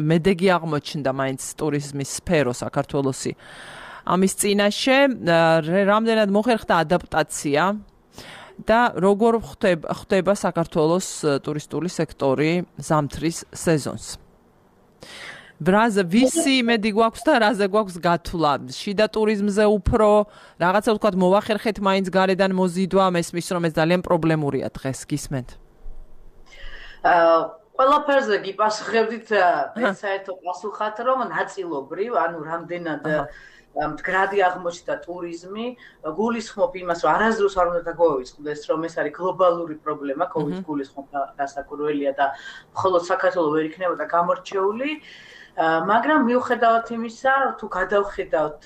მედეგი აღმოჩნდა მაინც ტურიზმის სფერო საქართველოსი ამის წინაშე, რამდენად მოხერხდა ადაპტაცია და როგორ ხდება საქართველოს ტურისტული სექტორი ზამთრის სეზონს. ვისი იმედი გვაქვს და რაზე გვაქვს გათვლა? შიდა ტურიზმზე უფრო რაღაცა ვთქვათ მოვახერხეთ მაინც გარედან მოზიდვა, მესმის რომ ეს ძალიან პრობლემურია დღეს, გისმენთ? ყველაფერზე გიპასუხებდით საერთო პასუხად, რომ ნაწილობრივ, ანუ რამდენად მდგრადი აღმოჩნდა ტურიზმი, გულისხმობ იმას, რომ არასდროს არ უნდა დაგვავიწყდეს, რომ ეს არის გლობალური პრობლემა, COVID გულისხმობ დასაკურველია და მხოლოდ საქართველოს ვერ იქნებოდა გამორჩეული. მაგრამ მიუხედავად იმისა, თუ გადავხედავთ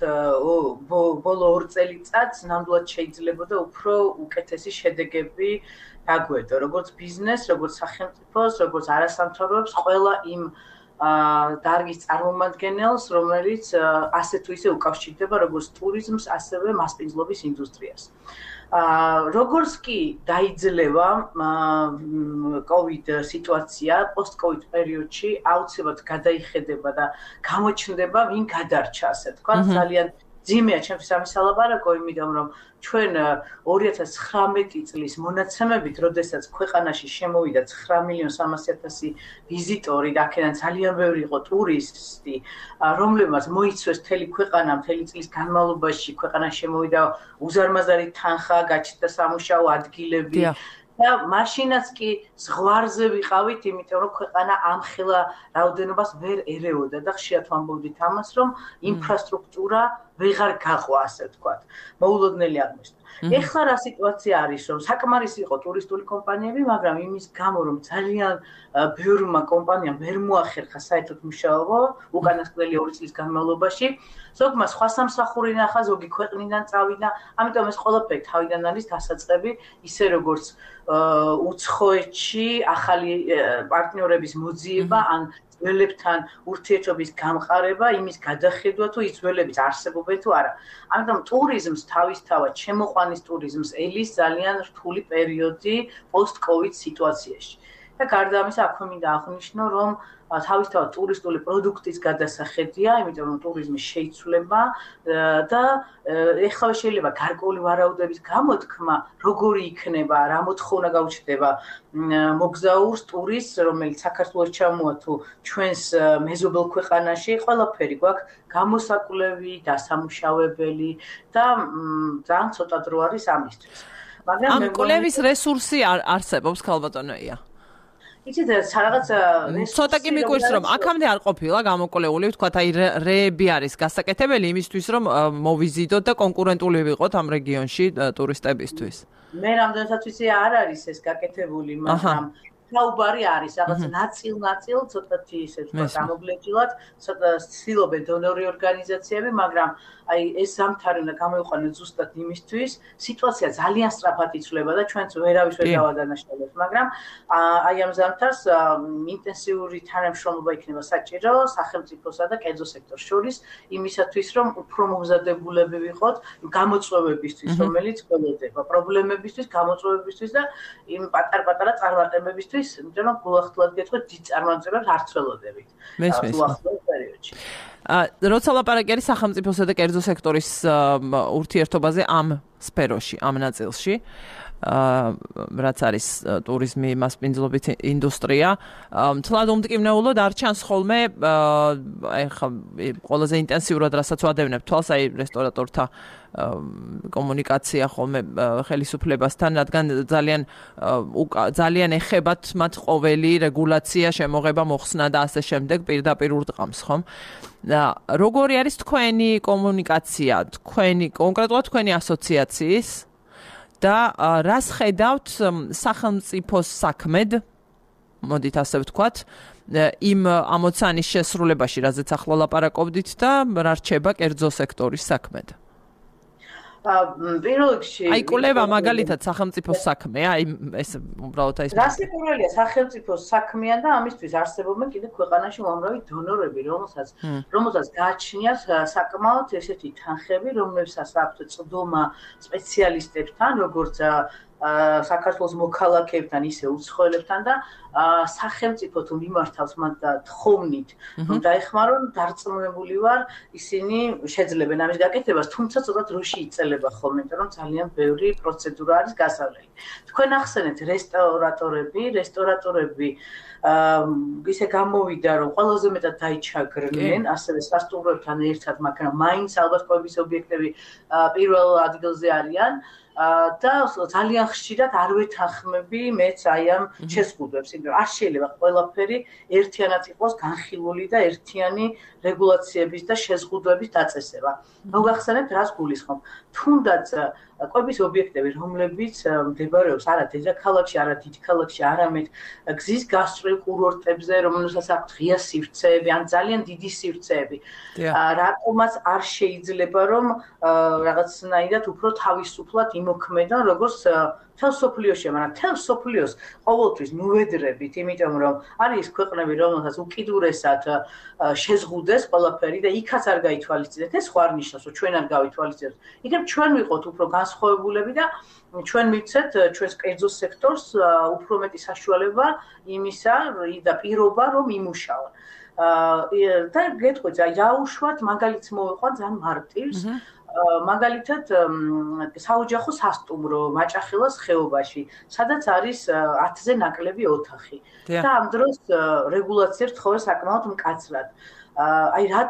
ბოლო 2 წელიწადს, ნამდვილად შეიძლებოდა უფრო უკეთესი შედეგები დაგვედო, როგორც ბიზნეს, როგორც სახელმწიფოს, როგორც არასამთავრობოებს, ყველა იმ დარგის წარმომადგენელს, რომელიც ასე თუ ისე უკავშირდება როგორც ტურიზმს, ასევე მასპინძლობის ინდუსტრიას. როგორც კი დაიძლევა COVID სიტუაცია, post-COVID პერიოდში აუცილებლად გადაიხედება და გამოჩნდება, ვინ გადარჩა, ასე თქვა, ძალიან ძიმეა ჩემთვის ამის სალაპარაკო, იმიტომ რომ ჩვენ 2019 წლის მონაცემებით, როდესაც ქვეყანაში შემოვიდა 9,300,000 ვიზიტორი და აქედან ძალიან ბევრი იყო ტურისტი, რომლებმაც მოიცვეს მთელი ქვეყანა, მთელი წლის განმავლობაში ქვეყანაში შემოვიდა უზარმაზარი თანხა, გაჩნდა სამუშაო ადგილები და მაშინაც კი ზღვარზე ვიყავით, იმიტომ რომ ქვეყანა ამხელა რაოდენობას ვერ ერეოდა და ხშირად ვამბობდით ამას, რომ ინფრასტრუქტურა ვეღარ გაყვა, ასე ვთქვათ. მოულოდნელი აღმოჩნდა. ეხლა რა სიტუაცია არის, რომ საკმარისი იყო ტურისტული კომპანიები, მაგრამ იმის გამო, რომ ძალიან ბევრმა კომპანიამ ვერ მოახერხა საერთოდ მუშაობა უკანასკნელი 2 წლის განმავლობაში, ზოგმა სხვა სამსახური ნახა, ზოგი ქვეყნიდან წავიდა, ამიტომ ეს ყველაფერი თავიდან არის დასაწყები, ისე როგორც უცხოეთში ახალი პარტნიორების მოძიება ან ძველებთან ურთიერთობის გამყარება, იმის გადახედვა თუ ის ძველებიც არსებობენ თუ არა. ამიტომ ტურიზმს თავისთავად შემოყვანის ტურიზმს ელის ძალიან რთული პერიოდი post-COVID სიტუაციაში. და გარდა ამისა, აქვე მინდა აღვნიშნო, რომ თავისთავად ტურისტული პროდუქტის გადასახედია, იმიტომ რომ ტურიზმი შეიცვლება და ეხლა შეიძლება გარკვეული ვარაუდების გამოთქმა, როგორი იქნება, რა მოთხოვნა გაუჩნდება მოგზაურს, ტურისტს, რომელიც საქართველოს ჩამოვა თუ ჩვენს მეზობელ ქვეყანაში, ყველაფერი გვაქვს გამოსაკვლევი, დასამუშავებელი და ძალიან ცოტა დრო არის ამისთვის. მაგრამ ამ კვლევის რესურსი არსებობს, ქალბატონია. იცით, რაღაც ცოტა კი მიგვირს, რომ აქამდე არ ყოფილა გამოკვლეული, ვთქვათ, აი რეები არის გასაკეთებელი იმისთვის, რომ მოვიზიდოთ და კონკურენტული ვიყოთ ამ რეგიონში ტურისტებისთვის. მე რამდენადაც ვიცი, არ არის ეს გაკეთებული, მაგრამ საუბარი არის, რაღაც ნაწილ ცოტათი ისე თქვა გამოგლეჯილად, ცოტა ცდილობენ დონორი ორგანიზაციები, მაგრამ აი ეს ზამთარი უნდა გამოიყვანოს ზუსტად იმისთვის, სიტუაცია ძალიან სწრაფად იცვლება და ჩვენც ვერავის ვერ დავადანაშაულებთ, მაგრამ აი ამ ზამთარს ინტენსიური თანამშრომლობა იქნება საჭირო სახელმწიფოსა და კერძო სექტორს შორის, იმისათვის, რომ უფრო მომზადებულები ვიყოთ გამოწვევებისთვის, რომელიც გველოდება, პრობლემებისთვის, გამოწვევებისთვის და იმ პატარ-პატარა წარმატებებისთვის, იმიტომ რომ გულახდილად გეტყვით, დიდ წარმატებებს არ ცველოდებით. უახლოეს პერიოდში. როცა ლაპარაკი არის სახელმწიფოსა და კერძო სექტორის ურთიერთობაზე ამ სფეროში, ამ ნაწილში, რაც არის ტურიზმი, მასპინძლობის ინდუსტრია, თლად უმტკივნეულოდ არ ჩანს ხოლმე, ეხლა ყველაზე ინტენსიურად რასაც ვადევნებ თვალს, აი რესტორატორთა კომუნიკაცია ხოლმე ხელისუფლებასთან, რადგან ძალიან ეხებათ მათ ყოველი რეგულაცია, შემოღება, მოხსნა და ასე შემდეგ პირდაპირ ურტყამს, ხომ? როგორი არის თქვენი კომუნიკაცია, კონკრეტულად თქვენი ასოციაციის და რას ხედავთ სახელმწიფოს საქმედ, მოდით ასე ვთქვათ, იმ ამოცანის შესრულებაში, რაზეც ახლა ლაპარაკობდით და რა რჩება კერძო სექტორის საქმედ? პირველ რიგში აი კვლევა მაგალითად სახელმწიფოს საქმეა, აი ეს უბრალოდ აი რა სიკვდილია სახელმწიფოს საქმეა და ამისთვის არსებობენ კიდევ ქვეყანაში უამრავი დონორები, რომელსაც გააჩნიათ საკმაოდ ესეთი თანხები, რომლებსაც აქვთ წვდომა სპეციალისტებთან, როგორც საქართველოს მოქალაქეებთან ისე უცხოელებთან და სახელმწიფო თუ მიმართავს მათ თხოვნით რომ დაეხმარონ დარწმუნებული ვარ ისინი შეძლებენ ამის გაკეთებას თუმცა ცოტა დროში იწელება ხოლმე იმიტომ რომ ძალიან ბევრი პროცედურა არის გასავლელი თქვენ ახსენეთ რესტორატორები ისე გამოვიდა რომ ყველაზე მეტად დაიჩაგრნენ ასევე სასტუმროებთან ერთად მაგრამ მაინც ალბათ კვების ობიექტები პირველ ადგილზე არიან და ძალიან ხშირად არ ვეთანხმები მეც აი ამ შეზღუდვებს, იმიტომ რომ არ შეიძლება ყველაფერი ერთიანად იყოს განხილული და ერთიანი რეგულაციების და შეზღუდვების დაწესება. მოგახსენებთ რას გულისხმობ? თუნდაც კვების ობიექტები, რომლებიც მდებარეობს არა დედაქალაქში, არა დიდ ქალაქში, არამედ გზის გასწვრივ კურორტებზე, რომელსაც აქვთ ღია სივრცეები, ან ძალიან დიდი სივრცეები. რატომაც არ შეიძლება რომ რაღაცნაირად უფრო თავისუფლად იმოქმედან, როგორც თელ სოფლიოში, მაგრამ თელ სოფლიოს ყოველთვის ნუვედრებით, იმიტომ რომ არის ქვეყნები, რომელთაც უკიდურესად შეზღუდეს ყველაფერი და იქაც არ გაითვალისწინეთ, ეს ხო არ ნიშნავს, რომ ჩვენ არ გავითვალისწინებთ. იქნებ ჩვენ ვიყოთ უფრო განსხვავებულები და ჩვენ მივცეთ ჩვენს კერძო სექტორს უფრო მეტი საშუალება იმისა და პირობა რომ იმუშაონ. და გეტყვით, აუშვათ მაგალითს მოვიყვან ძალიან მარტივს. მაგალითად საოჯახო სასტუმრო მაჭახელას ხეობაში, სადაც არის 10-ზე ნაკლები ოთახი. და ამ დროს რეგულაცია რთხოვე საკმაოდ მკაცრად. აი რა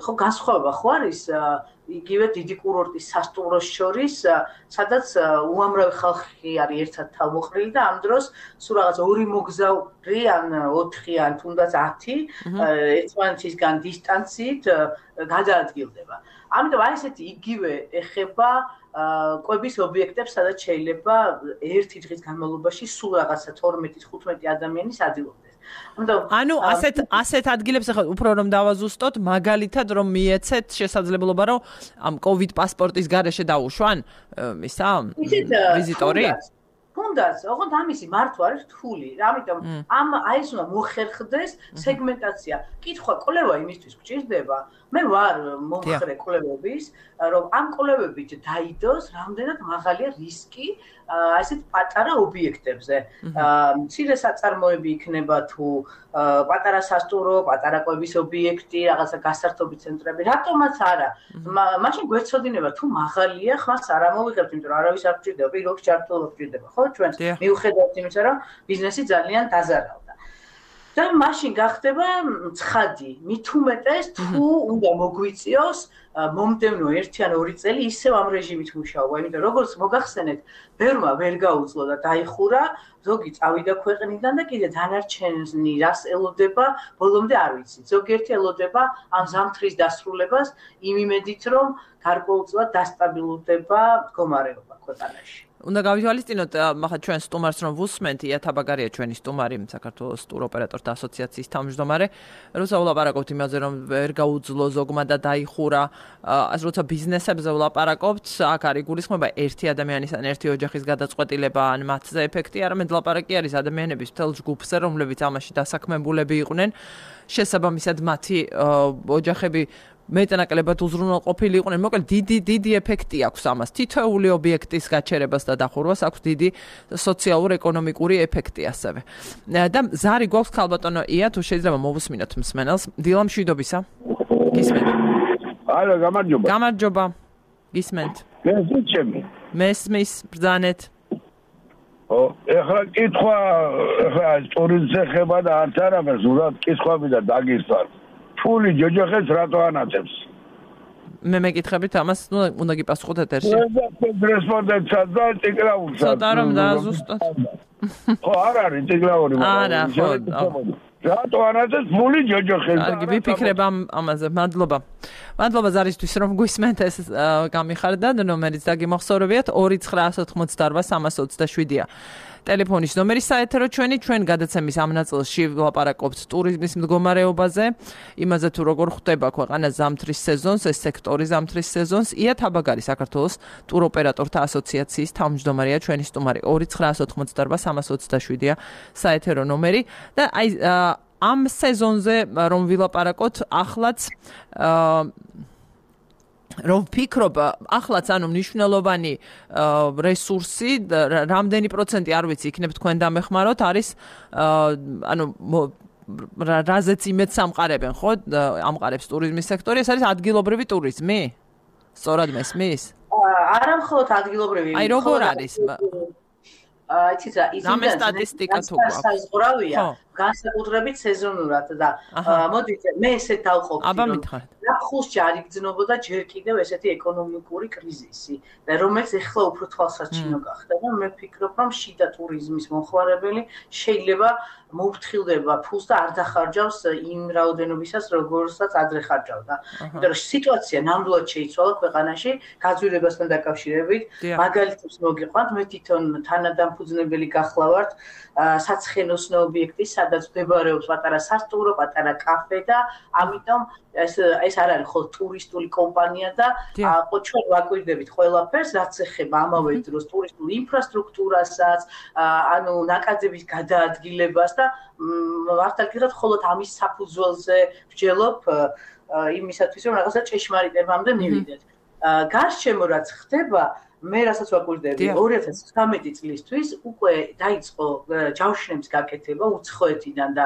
ხო განსხვავება ხო არის იგივე დიდი კურორტის სასტუმროს შორის, სადაც უამრავი ხალხი არის ერთად თავმოყრილი და ამ დროს სულ რაღაც ორი მოგზაური ან 4 ან თუნდაც 10 ერთმანეთისგან დისტანციით გადაადგილდება. ამიტომ აი ესეთი იგივე ეხება კვების ობიექტებს, სადაც შეიძლება ერთი დღის განმავლობაში სულ რაღაცა 12-15 ადამიანის ადილობდეს. ანუ ასეთ ადგილებს ახლა უფრო რომ დავაზუსტოთ, მაგალითად რომ მიეცეთ შესაძლებლობა რომ ამ კოვიდ პასპორტის გარეშე დაუშვან ისა ვიზიტორი? თუნდაც, ოღონდ ამისი მართვა არის რთული. ამიტომ აი ეს უნდა მოხერხდეს სეგმენტაცია. კითხვა კვლევა იმისთვის გჭირდება. მე ვარ მომხრე კვლევების, რომ ამ კვლევებით დაიდოს რამდენად მაღალია რისკი ასეთ პატარა ობიექტებზე. მცირე საწარმოები იქნება თუ პატარა სასტუმრო, პატარა კვების ობიექტი, რაღაცა გასართობი ცენტრები, რატომაც არა. მაშინ გვეცოდინება თუ მაღალია, ხმას არ ამოვიღებთ, იმიტომ რომ არავის არ გჭირდება, პირობს ჩართულობა გჭირდება, ხო ჩვენ მიუხედავად იმისა, რომ ბიზნესი ძალიან დაზარავდა. და მაშინ გახდება ცხადი, მით უმეტეს თუ უნდა მოგვიწიოს მომდევნო 1 ან 2 წელი ისევ ამ რეჟიმით მუშაობა, იმიტომ როგორც მოგახსენეთ, ბევრმა ვერ გაუძლო და დაიხურა, ზოგი წავიდა ქვეყნიდან და კიდე დანარჩენი რას ელოდება, ბოლომდე არ ვიცი. ზოგიერთი ელოდება ამ ზამთრის დასრულებას იმ იმედით, რომ გარკვეულწილად დასტაბილურდება მდგომარეობა ქვეყანაში. უნდა გავითვალისწინოთ, ახლა ჩვენ სტუმარს რომ ვუსმენთ, ია თაბაგარია ჩვენი სტუმარი, საქართველოს ტუროპერატორთა ასოციაციის თავმჯდომარე, როცა ვლაპარაკობთ იმაზე, რომ ვერ გაუძლო ზოგმა და დაიხურა, როცა ბიზნესებზე ვლაპარაკობთ, აქ არის გულისხმობა ერთი ადამიანის ან ერთი ოჯახის გადაწყვეტილება ან მათზე ეფექტი, არამედ ლაპარაკი არის ადამიანების მთელ ჯგუფზე, რომლებიც ამაში დასაქმებულები იყვნენ, შესაბამისად მათი ოჯახები მეტნაკლებად უზრუნველყოფილი იყვნენ. მოკლედ დიდი ეფექტი აქვს ამას. თითოეული ობიექტის გაჩერებას და დახურვას აქვს დიდი სოციალურ-ეკონომიკური ეფექტი ასევე. და ზარი გვაქვს ქალბატონო ია, თუ შეიძლება მოვუსმინოთ მსმენელს. დილა მშვიდობისა. გისმენთ? ალო, გამარჯობა. გამარჯობა. გისმენთ? მესმის ბრძანეთ. ეხლა კითხვა, ეხლა ტურიზმს ეხება და არც არაფერს, უბრალოდ კითხვები და დაგისვარ. ფული ჯოჯოხებს რატო ანაწევს? მე მეკითხებით ამას, უნდა გიპასუხოთ ეთერში. რესპონდენტსაც და ტიკლაურსაც. ცოტა რომ დააზუსტოთ. ხო, არ არის ტიკლაური, არა, ხო. რატო ანაწევს ფული ჯოჯოხებს? კარგი, ვიფიქრებ ამაზე. მადლობა. მადლობა ზარისთვის რომ გვისმენთ ეს გამიხარდათ, ნომერიც დაგიმახსოვრებიათ 2988327-ია. ტელეფონის ნომერი საეთერო ჩვენ გადაცემის ამ ნაწილში ვლაპარაკობთ ტურიზმის მდგომარეობაზე, იმაზე თუ როგორ ხვდება ქვეყანა ზამთრის სეზონს, ეს სექტორი ზამთრის სეზონს. ია თაბაგარი საქართველოს ტუროპერატორთა ასოციაციის თავმჯდომარეა ჩვენი სტუმარი 2988327-ია საეთერო ნომერი და აი ამ სეზონზე რომ ვილაპარაკოთ ახლაც რომ ვფიქრობ, ახლაც ანუ მნიშვნელოვანი რესურსი, რამდენი პროცენტი არ ვიცი, იქნებ თქვენ დამეხმაროთ, არის ანუ რაზეც იმედს ამყარებენ, ხო? ამყარებს ტურიზმის სექტორი, ეს არის ადგილობრივი ტურიზმი? სწორად მესმის? არა მხოლოდ ადგილობრივი. აი როგორ არის? იცით რა, რამე სტატისტიკა თუ გვაქვს? საზღვრავია, განსაკუთრებით სეზონურად და მოდით მე ესეთ დავყოფი. აბა მითხარით. ნახულში არ იგრძნობოდა ჯერ კიდევ ესეთი ეკონომიკური კრიზისი, რომელიც ეხლა უფრო თვალსაჩინო გახდა და მე ვფიქრობ, რომ შიდა ტურიზმის მომხმარებელი შეიძლება მოუფრთხილდება ფულს და არ დახარჯავს იმ რაოდენობისას, როგორსაც ადრე ხარჯავდა. იმიტომ რომ სიტუაცია ნამდვილად შეიცვალა ქვეყანაში გაძვირებასთან დაკავშირებით. მაგალითებს მოგიყვანთ, მე თვითონ თანადამფუძნებელი გახლავართ საცხენოსნო ობიექტი, სადაც მდებარეობს პატარა სასტუმრო, პატარა კაფე და ამიტომ ეს არ არის ხოლმე ტურისტული კომპანია და ჩვენ ვაკვირდებით ყველაფერს, რაც ეხება ამავე დროს ტურისტულ ინფრასტრუქტურასაც, ანუ ნაკადების გადაადგილებას და მართლა გითხრათ, მხოლოდ ამის საფუძველზე ვჯელობ იმისათვის, რომ რაღაცა ჭეშმარიტებამდე მივიდეთ. გარშემო რაც ხდება, მე რასაც ვაკვირდები 2019 წლისთვის უკვე დაიწყო ჯავშნების გაკეთება უცხოეთიდან და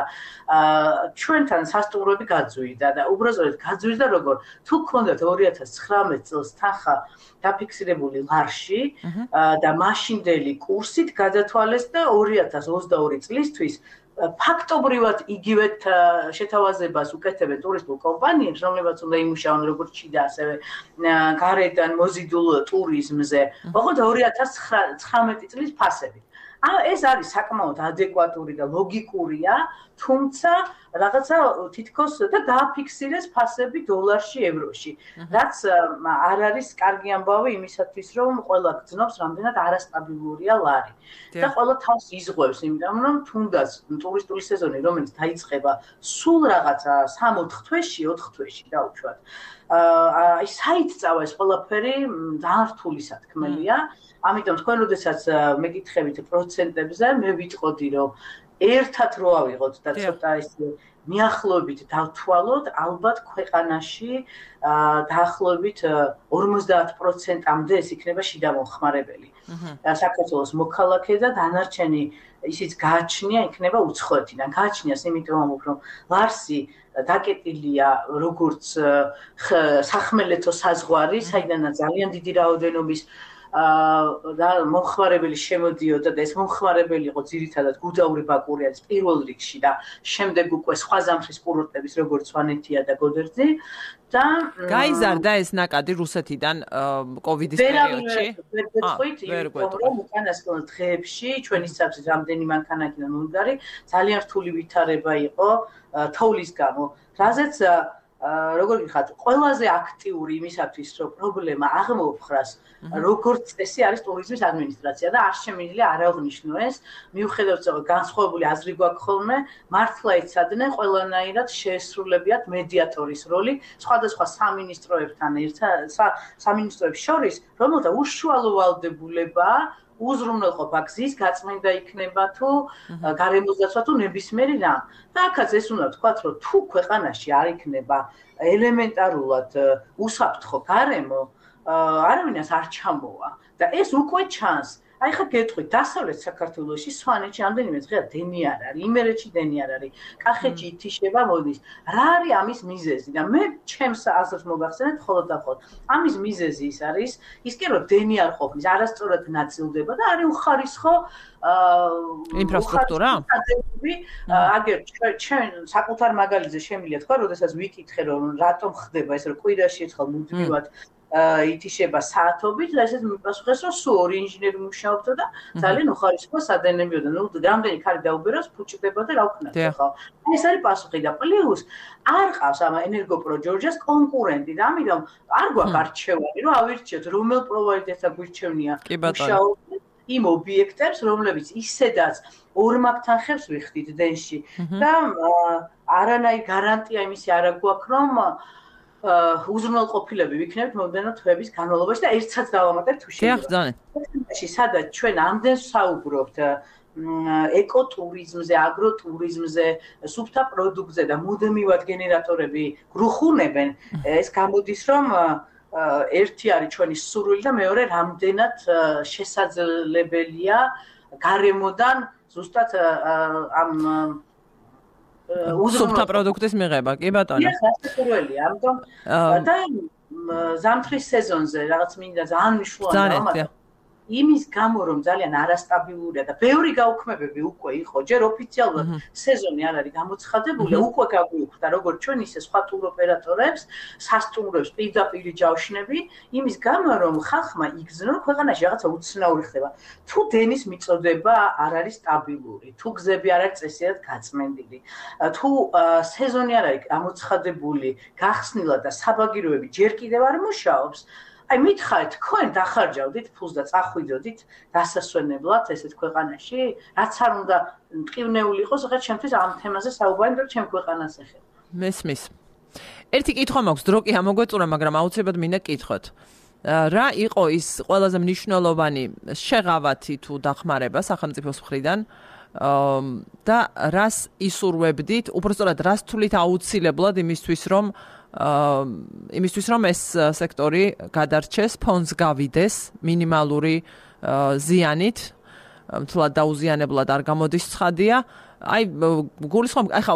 ჩვენთან სასტუმროები გაძვირდა და უბრალოდ გაძვირდა როგორ თუ გქონდათ 2019 წელს თანხა დაფიქსირებული ლარში და მაშინდელი კურსით გადათვალეს და 2022 წლისთვის ფაქტობრივად იგივე შეთავაზებას უკეთებენ ტურისტულ კომპანიებს, რომლებიც უნდა იმუშაონ როგორც შიდა, ასევე გარედან მოზიდულ ტურიზმზე, ოღონდ 2019 წლის ფასებით. ეს არის საკმაოდ ადეკვატური და ლოგიკურია, თუმცა რაღაცა თითქოს და დააფიქსირეს ფასები დოლარში, ევროში. რაც არ არის კარგი ამბავი იმისათვის, რომ ყველა გძნობს, რამდენად არასტაბილურია ლარი. და ყველა თავს იზღვევს, იმიტომ რომ თუნდაც ტურისტული სეზონი, რომელიც დაიწყება სულ რაღაცა 3-4 თვეში, 4 თვეში დაუშვათ. აი საიტწავა ეს ყველაფერი ძალიან რთული სათქმელია. ამიტომ თქვენ როდესაც მეკითხებით პროცენტებზე, მე ვიტყოდი, რომ ერთად რო ავიღოთ და ცოტა ისე მიახლოებით დავთვალოთ, ალბათ ქვეყანაში დაახლოებით 50%-ამდე ეს იქნება შიდა მომხმარებელი. საქართველოს მოქალაქე და დანარჩენი ისიც გააჩნია იქნება უცხოეთიდან. გააჩნიას იმიტომ რომ ლარსი დაკეტილია როგორც სახმელეთო საზღვარი, საიდანაც ძალიან დიდი რაოდენობის მომხმარებელი შემოდიოდა და ეს მომხმარებელი იყო ძირითადად გუდაური ბაკური არის პირველ რიგში და შემდეგ უკვე სხვა ზამთრის კურორტების როგორც სვანეთია და გოდერძი და გაიზარდა ეს ნაკადი რუსეთიდან კოვიდის პერიოდში? ვერ გვეტყვით, რომ უკანასკნელ დღეებში ჩვენი საბჭოს რამდენი მანქანაკიდან უნგარი ძალიან რთული ვითარება იყო თოვლის გამო, რაზეც როგორ გიხართ, ყველაზე აქტიური იმისათვის, რომ პრობლემა აღმოფხრას, როგორც წესი არის ტურიზმის ადმინისტრაცია და არ შემიძლია არ აღნიშნო ეს, მიუხედავად იმისა, რომ განსხვავებული აზრი გვაქვს ხოლმე, მართლა იცადნენ ყველანაირად შეესრულებიათ მედიატორის როლი სხვადასხვა სამინისტროებთან სამინისტროებს შორის, რომელთა უშუალო ვალდებულებაა უზრუნველყოფა გზის გაწმენდა იქნება თუ გარემოსდაცვა თუ ნებისმიერი რამ. და აქაც ეს უნდა ვთქვათ, რომ თუ ქვეყანაში არ იქნება ელემენტარულად უსაფრთხო გარემო, არავინას არ ჩამოვა და ეს უკვე ჩანს. აი ხა გეტყვით, დასავლეთ საქართველოში, სვანეთში რამდენიმე დღეა დენი არ არის, იმერეთში დენი არ არის, კახეთში ითიშება მოდის. რა არის ამის მიზეზი? და მე ჩემს აზრს მოგახსენეთ მხოლოდ და მხოლოდ. ამის მიზეზი ის არის, ის კი რომ დენი არ ყოფნის, არასწორად ნაწილდება და არის უხარისხო ინფრასტრუქტურა. აგერ ჩვენ საკუთარ მაგალითზე შემიძლია თქვა, როდესაც ვიკითხე რომ რატომ ხდება ეს, რომ კვირაში ერთხელ მუდმივად ითიშება საათობით და ესეც მიპასუხეს, რომ სულ 2 ინჟინერი მუშაობდა და ძალიან უხარისხო სადენებიოდა. ნუ რამდენი ქარი დაუბერავს, ფუჭდება და რა ვქნათ ხო? ეს არის პასუხი და პლუს არ ყავს ამ ენერგოპრო ჯორჯას კონკურენტი და ამიტომ არ გვაქვს არჩევანი, რომ ავირჩიოთ რომელ პროვაიდერთან გვირჩევნია მუშაობენ იმ ობიექტებს, რომლებიც ისედაც ორმაგთან ხებს ვიხდით დენში და არანაირი გარანტია იმისი არ გვაქვს, რომ უზრუნველყოფილები ვიქნებით მომდენო თვეების განმავლობაში და ერთსაც დავამატებთ თუ შეიძლება. სადაც ჩვენ ამდენს საუბრობთ ეკოტურიზმზე, აგროტურიზმზე, სუფთა პროდუქტზე და მუდმივად გენერატორები გრუხუნებენ, ეს გამოდის რომ ერთი არის ჩვენი სურვილი და მეორე რამდენად შესაძლებელია გარემოდან ზუსტად ამ უზრუნველყოფა პროდუქტის მიღება, კი ბატონო. სასურველია, ამიტომ და ზამთრის სეზონზე რაღაც მინდა ძალიან მნიშვნელოვანია. იმის გამო რომ ძალიან არასტაბილურია და ბევრი გაუქმებები უკვე იყო, ჯერ ოფიციალურად სეზონი არ არის გამოცხადებული, უკვე გაგვიუხდა როგორც ჩვენ ისე სხვა ტუროპერატორებს, სასტუმროებს პირდაპირ ჯავშნები, იმის გამო რომ ხალხმა იგრძნო ქვეყანაში რაღაცა უცნაური ხდება. თუ დენის მიწოდება არ არის სტაბილური, თუ გზები არ არის წესიერ გაწმენდილი, თუ სეზონი არ არის გამოცხადებული, გახსნილად და საბაგიროები ჯერ კიდევ არ მუშაობს, აი მითხარით, თქვენ დახარჯავდით ფულს და წახვიდოდით დასასვენებლად ესეთ ქვეყანაში, რაც არ უნდა მტკივნეული იყოს, ხა ჩემთვის ამ თემაზე საუბარი, რომ ჩემ ქვეყანას ეხება. მესმის. ერთი კითხვა მაქვს, დრო კი ამოგვეწურა, მაგრამ აუცილებლად მინდა გკითხოთ. რა იყო ის ყველაზე მნიშვნელოვანი შეღავათი თუ დახმარება სახელმწიფოს მხრიდან და რას ისურვებდით, უბრალოდ რას თulit აუცილებლად იმისთვის რომ ეს სექტორი გადარჩეს, ფონდს გავიდეს მინიმალური ზიანით, თლად დაუზიანებლად არ გამოდის ცხადია. აი გულისხმობ, ახლა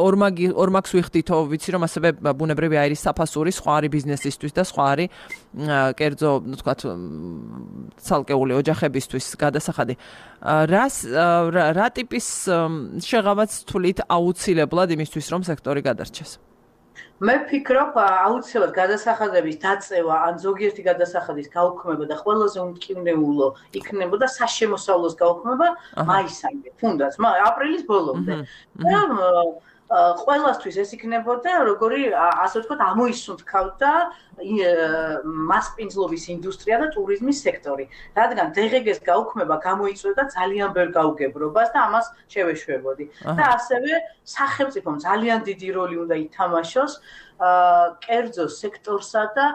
ორმაგს ვიხდითო, ვიცი რომ ასევე ბუნებრივი აირის საფასური სხვა არის ბიზნესისთვის და სხვა არის კერძო, თქვათ, ცალკეული ოჯახებისთვის გადასახადი. რა ტიპის შეღავათს თulit აუცილებლად იმისთვის რომ სექტორი გადარჩეს? მე ვფიქრობ, აუცილებლად გადასახადების დაწევა ან ზოგიერთი გადასახადის გაუქმება და ყველაზე უმტკივნეულო იქნებოდა საშემოსავლოს გაუქმება მაისამდე, თუნდაც, აპრილის ბოლომდე. ყველასთვის ეს იქნებოდა როგორი, ასე ვთქვათ, ამოისუნთქავდა მასპინძლობის ინდუსტრია და ტურიზმის სექტორი. რადგან დღეს გაუქმება გამოიწვევდა ძალიან ბევრ გაუგებრობას და ამას შევეშვებოდი. და ასევე სახელმწიფომ ძალიან დიდი როლი უნდა ითამაშოს კერძო სექტორსა და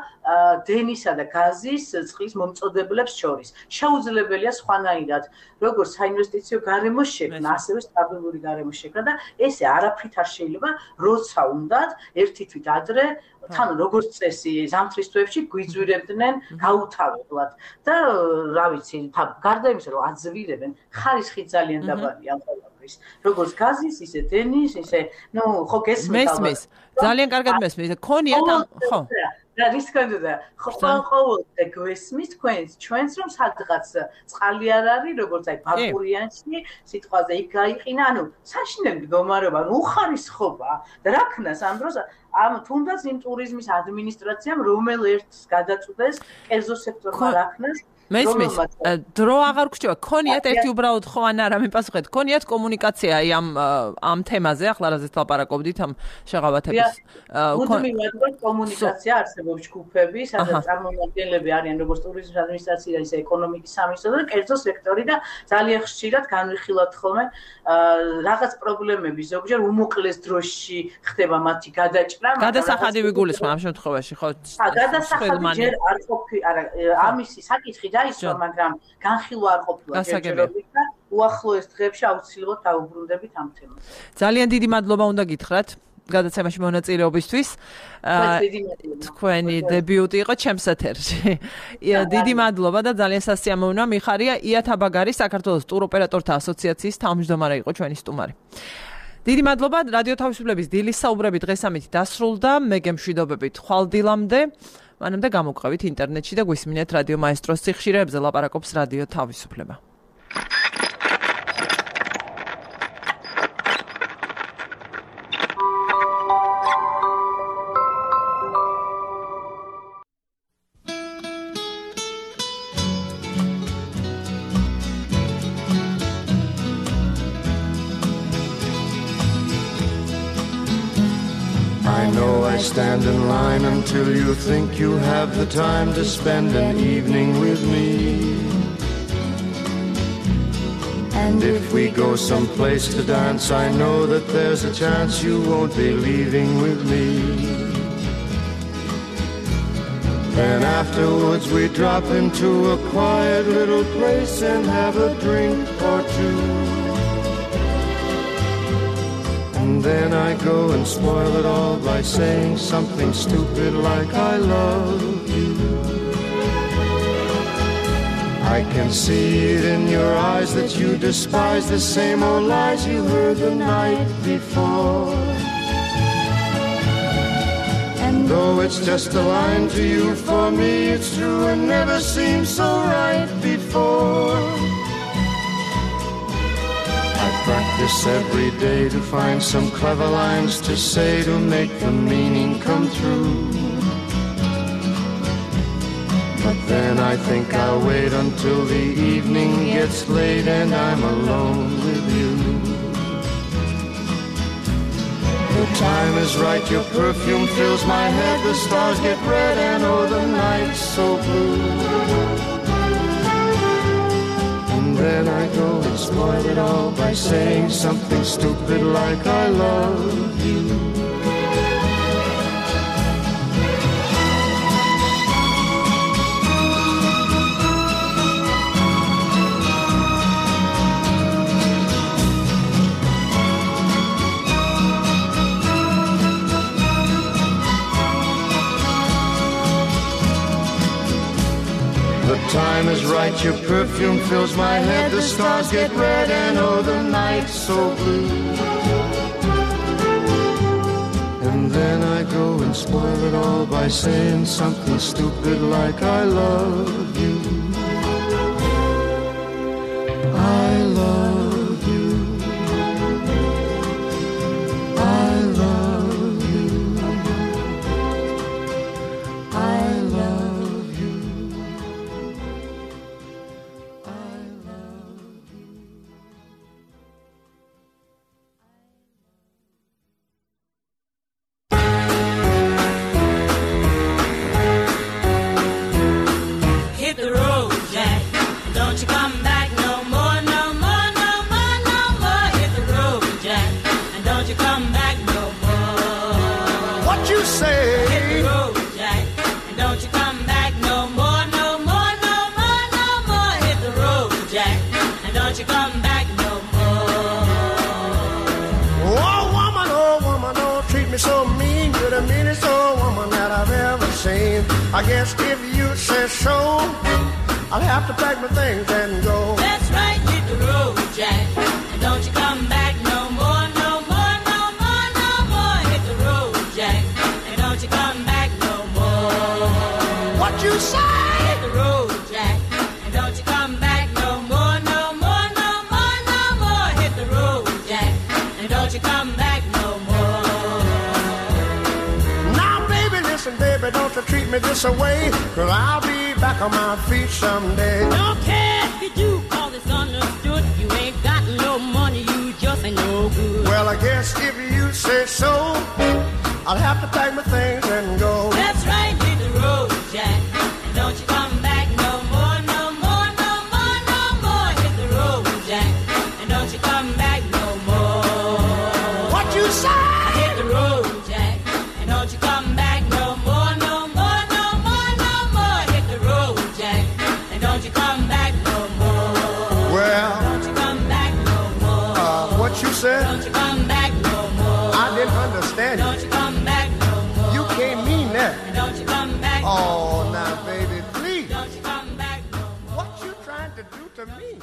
დენისა და გაზის წყლის მომწოდებლებს შორის. შეუძლებელია სხვანაირად, როგორც საინვესტიციო გარემო შექმნა, ასევე სტაბილური გარემო შექმნა და ესე არაფრით არ შეიძლება, როცა უნდათ ერთი თვით ადრე თან როგორც წესი ზამთრის თვეებში გვიძვირებდნენ გაუთავებლად და რა ვიცი, გარდა იმისა რომ აძვირებენ, ხარისხი ძალიან დაბალია ამ ყველაფრის. როგორც გაზის, ისე დენის, ისე, ხო გესმით მესმის. ძალიან კარგად მესმის. ქონიათ ამ, ხო. რა რის კონდა? ხო ყოველდღე გვესმის ჩვენს რომ სადღაც წყალი არ არის, როგორც აი ბაკურიანში, სიტყვაზე იქ გაიყინა, ანუ საშინელი მდგომარეობა, უხარისხობა და რა ქნას ამ დროს ამ თუნდაც იმ ტურიზმის ადმინისტრაციამ რომელერტს გადაწყვეტეს კერძო სექტორმა რა ქნას მესმის, დრო აღარ გრჩება, ქონიათ ერთი უბრალოდ ხო ან არა მიპასუხეთ, ქონიათ კომუნიკაცია აი ამ თემაზე, ახლა რაზეც ლაპარაკობდით ამ შეღავათების. მუდმივად კომუნიკაცია არსებობს ჯგუფები, სადაც წარმომადგენლები არიან როგორც ტურიზმის ადმინისტრაცია, ისე ეკონომიკის სამინისტრო და კერძო სექტორი და ძალიან ხშირად განვიხილავთ ხოლმე რაღაც პრობლემები, ზოგჯერ უმოკლეს დროში ხდება მათი გადაჭრა. გადასახადი ვიგულისხმობ ამ შემთხვევაში, ხო? გადასახადი ჯერ არ ყოფილი, არა, ამისი საკითხი დაისვა, მაგრამ განხილვა არ ყოფილა ჯერჯერობით და უახლოეს დღეებში აუცილებლად დავუბრუნდებით ამ თემას. ძალიან დიდი მადლობა უნდა გითხრათ გადაცემაში მონაწილეობისთვის. თქვენი დებიუტი იყო ჩემს ეთერში. დიდი მადლობა და ძალიან სასიამოვნოა მიხარია იათაბაგარი საქართველოს ტუროპერატორთა ასოციაციის თავმჯდომარე იყო ჩვენი სტუმარი. დიდი მადლობა რადიო თავისუფლების დილის საუბრები დღეს ამით დასრულდა. მე გემშვიდობებით ხვალდილამდე. მანამდე გამოგყევით ინტერნეტში და გვისმინეთ რადიო მაესტროს სიხშირეებზე ლაპარაკობს რადიო თავისუფლება. I stand in line until you think you have the time to spend an evening with me. And if we go someplace to dance, I know that there's a chance you won't be leaving with me. Then afterwards we drop into a quiet little place and have a drink or two. And then I go and spoil it all by saying something stupid like I love you. I can see it in your eyes that you despise the same old lies you heard the night before. And though it's just a line to you, for me it's true and never seemed so right before. I practice every day to find some clever lines to say to make the meaning come true. But then I think I'll wait until the evening gets late and I'm alone with you. The time is right, your perfume fills my head, the stars get red and oh the night's so blue. And then I go and spoil it all by saying something stupid like I love you. The time is right, your perfume fills my head, the stars get red and oh the night's so blue. And then I go and spoil it all by saying something stupid like I love you. I love you. I love you. I love you. Hit the road, Jack. Don't you come back no more, no more, no more, no more. Hit the road, Jack. And don't you come back no more. What you say? Hit the road, Jack. And don't you come back no more, no more, no more, no more. Hit the road, Jack. And don't you come back no more. Oh woman, don't treat me so mean. You're the meanest old woman that I've ever seen. I guess if you say so, I'll have to pack my things and go. That's right, hit the road, Jack. And don't you come back no more, no more, no more, no more. Hit the road, Jack. And don't you come back no more. What you say? Hit the road, Jack. And don't you come back no more, no more, no more, no more. Hit the road, Jack. And don't you come back no more. Now baby, listen baby, don't you treat me this away, 'cause I'll be back on my feet someday. Don't care if you do, 'cause it's understood. You ain't got no money, you just ain't no good. Well, I guess if you say so, I'll have to pack my things and go. That's right, hit the road, Jack. And don't you come back no more, no more, no more, no more. Hit the road, Jack. And don't you come back no more. What you say? Hit the road, Jack. And don't you come back no more, no more, no more, no more. Hit the road, Jack. And don't you come back no more. Well, Don't you come back no more. what you said? Don't you come back no more. I didn't understand you. Don't you come back no more. You can't mean that. And don't you come back no more. Oh, now baby, please. Don't you come back no more. What you trying to do to me?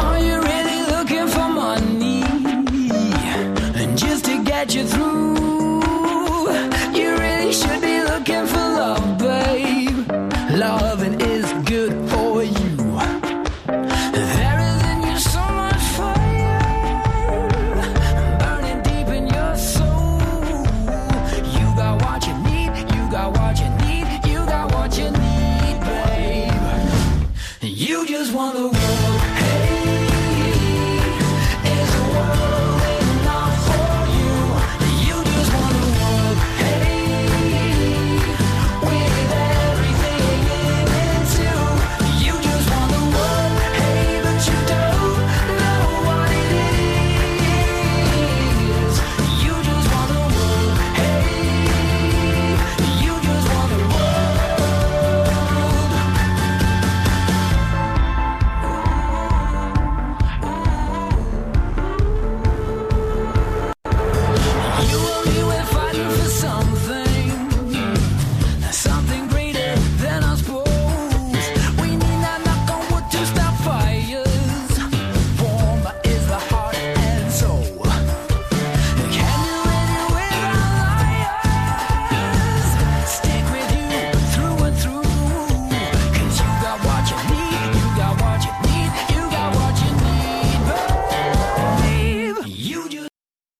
Are you really looking for money? And just to get you through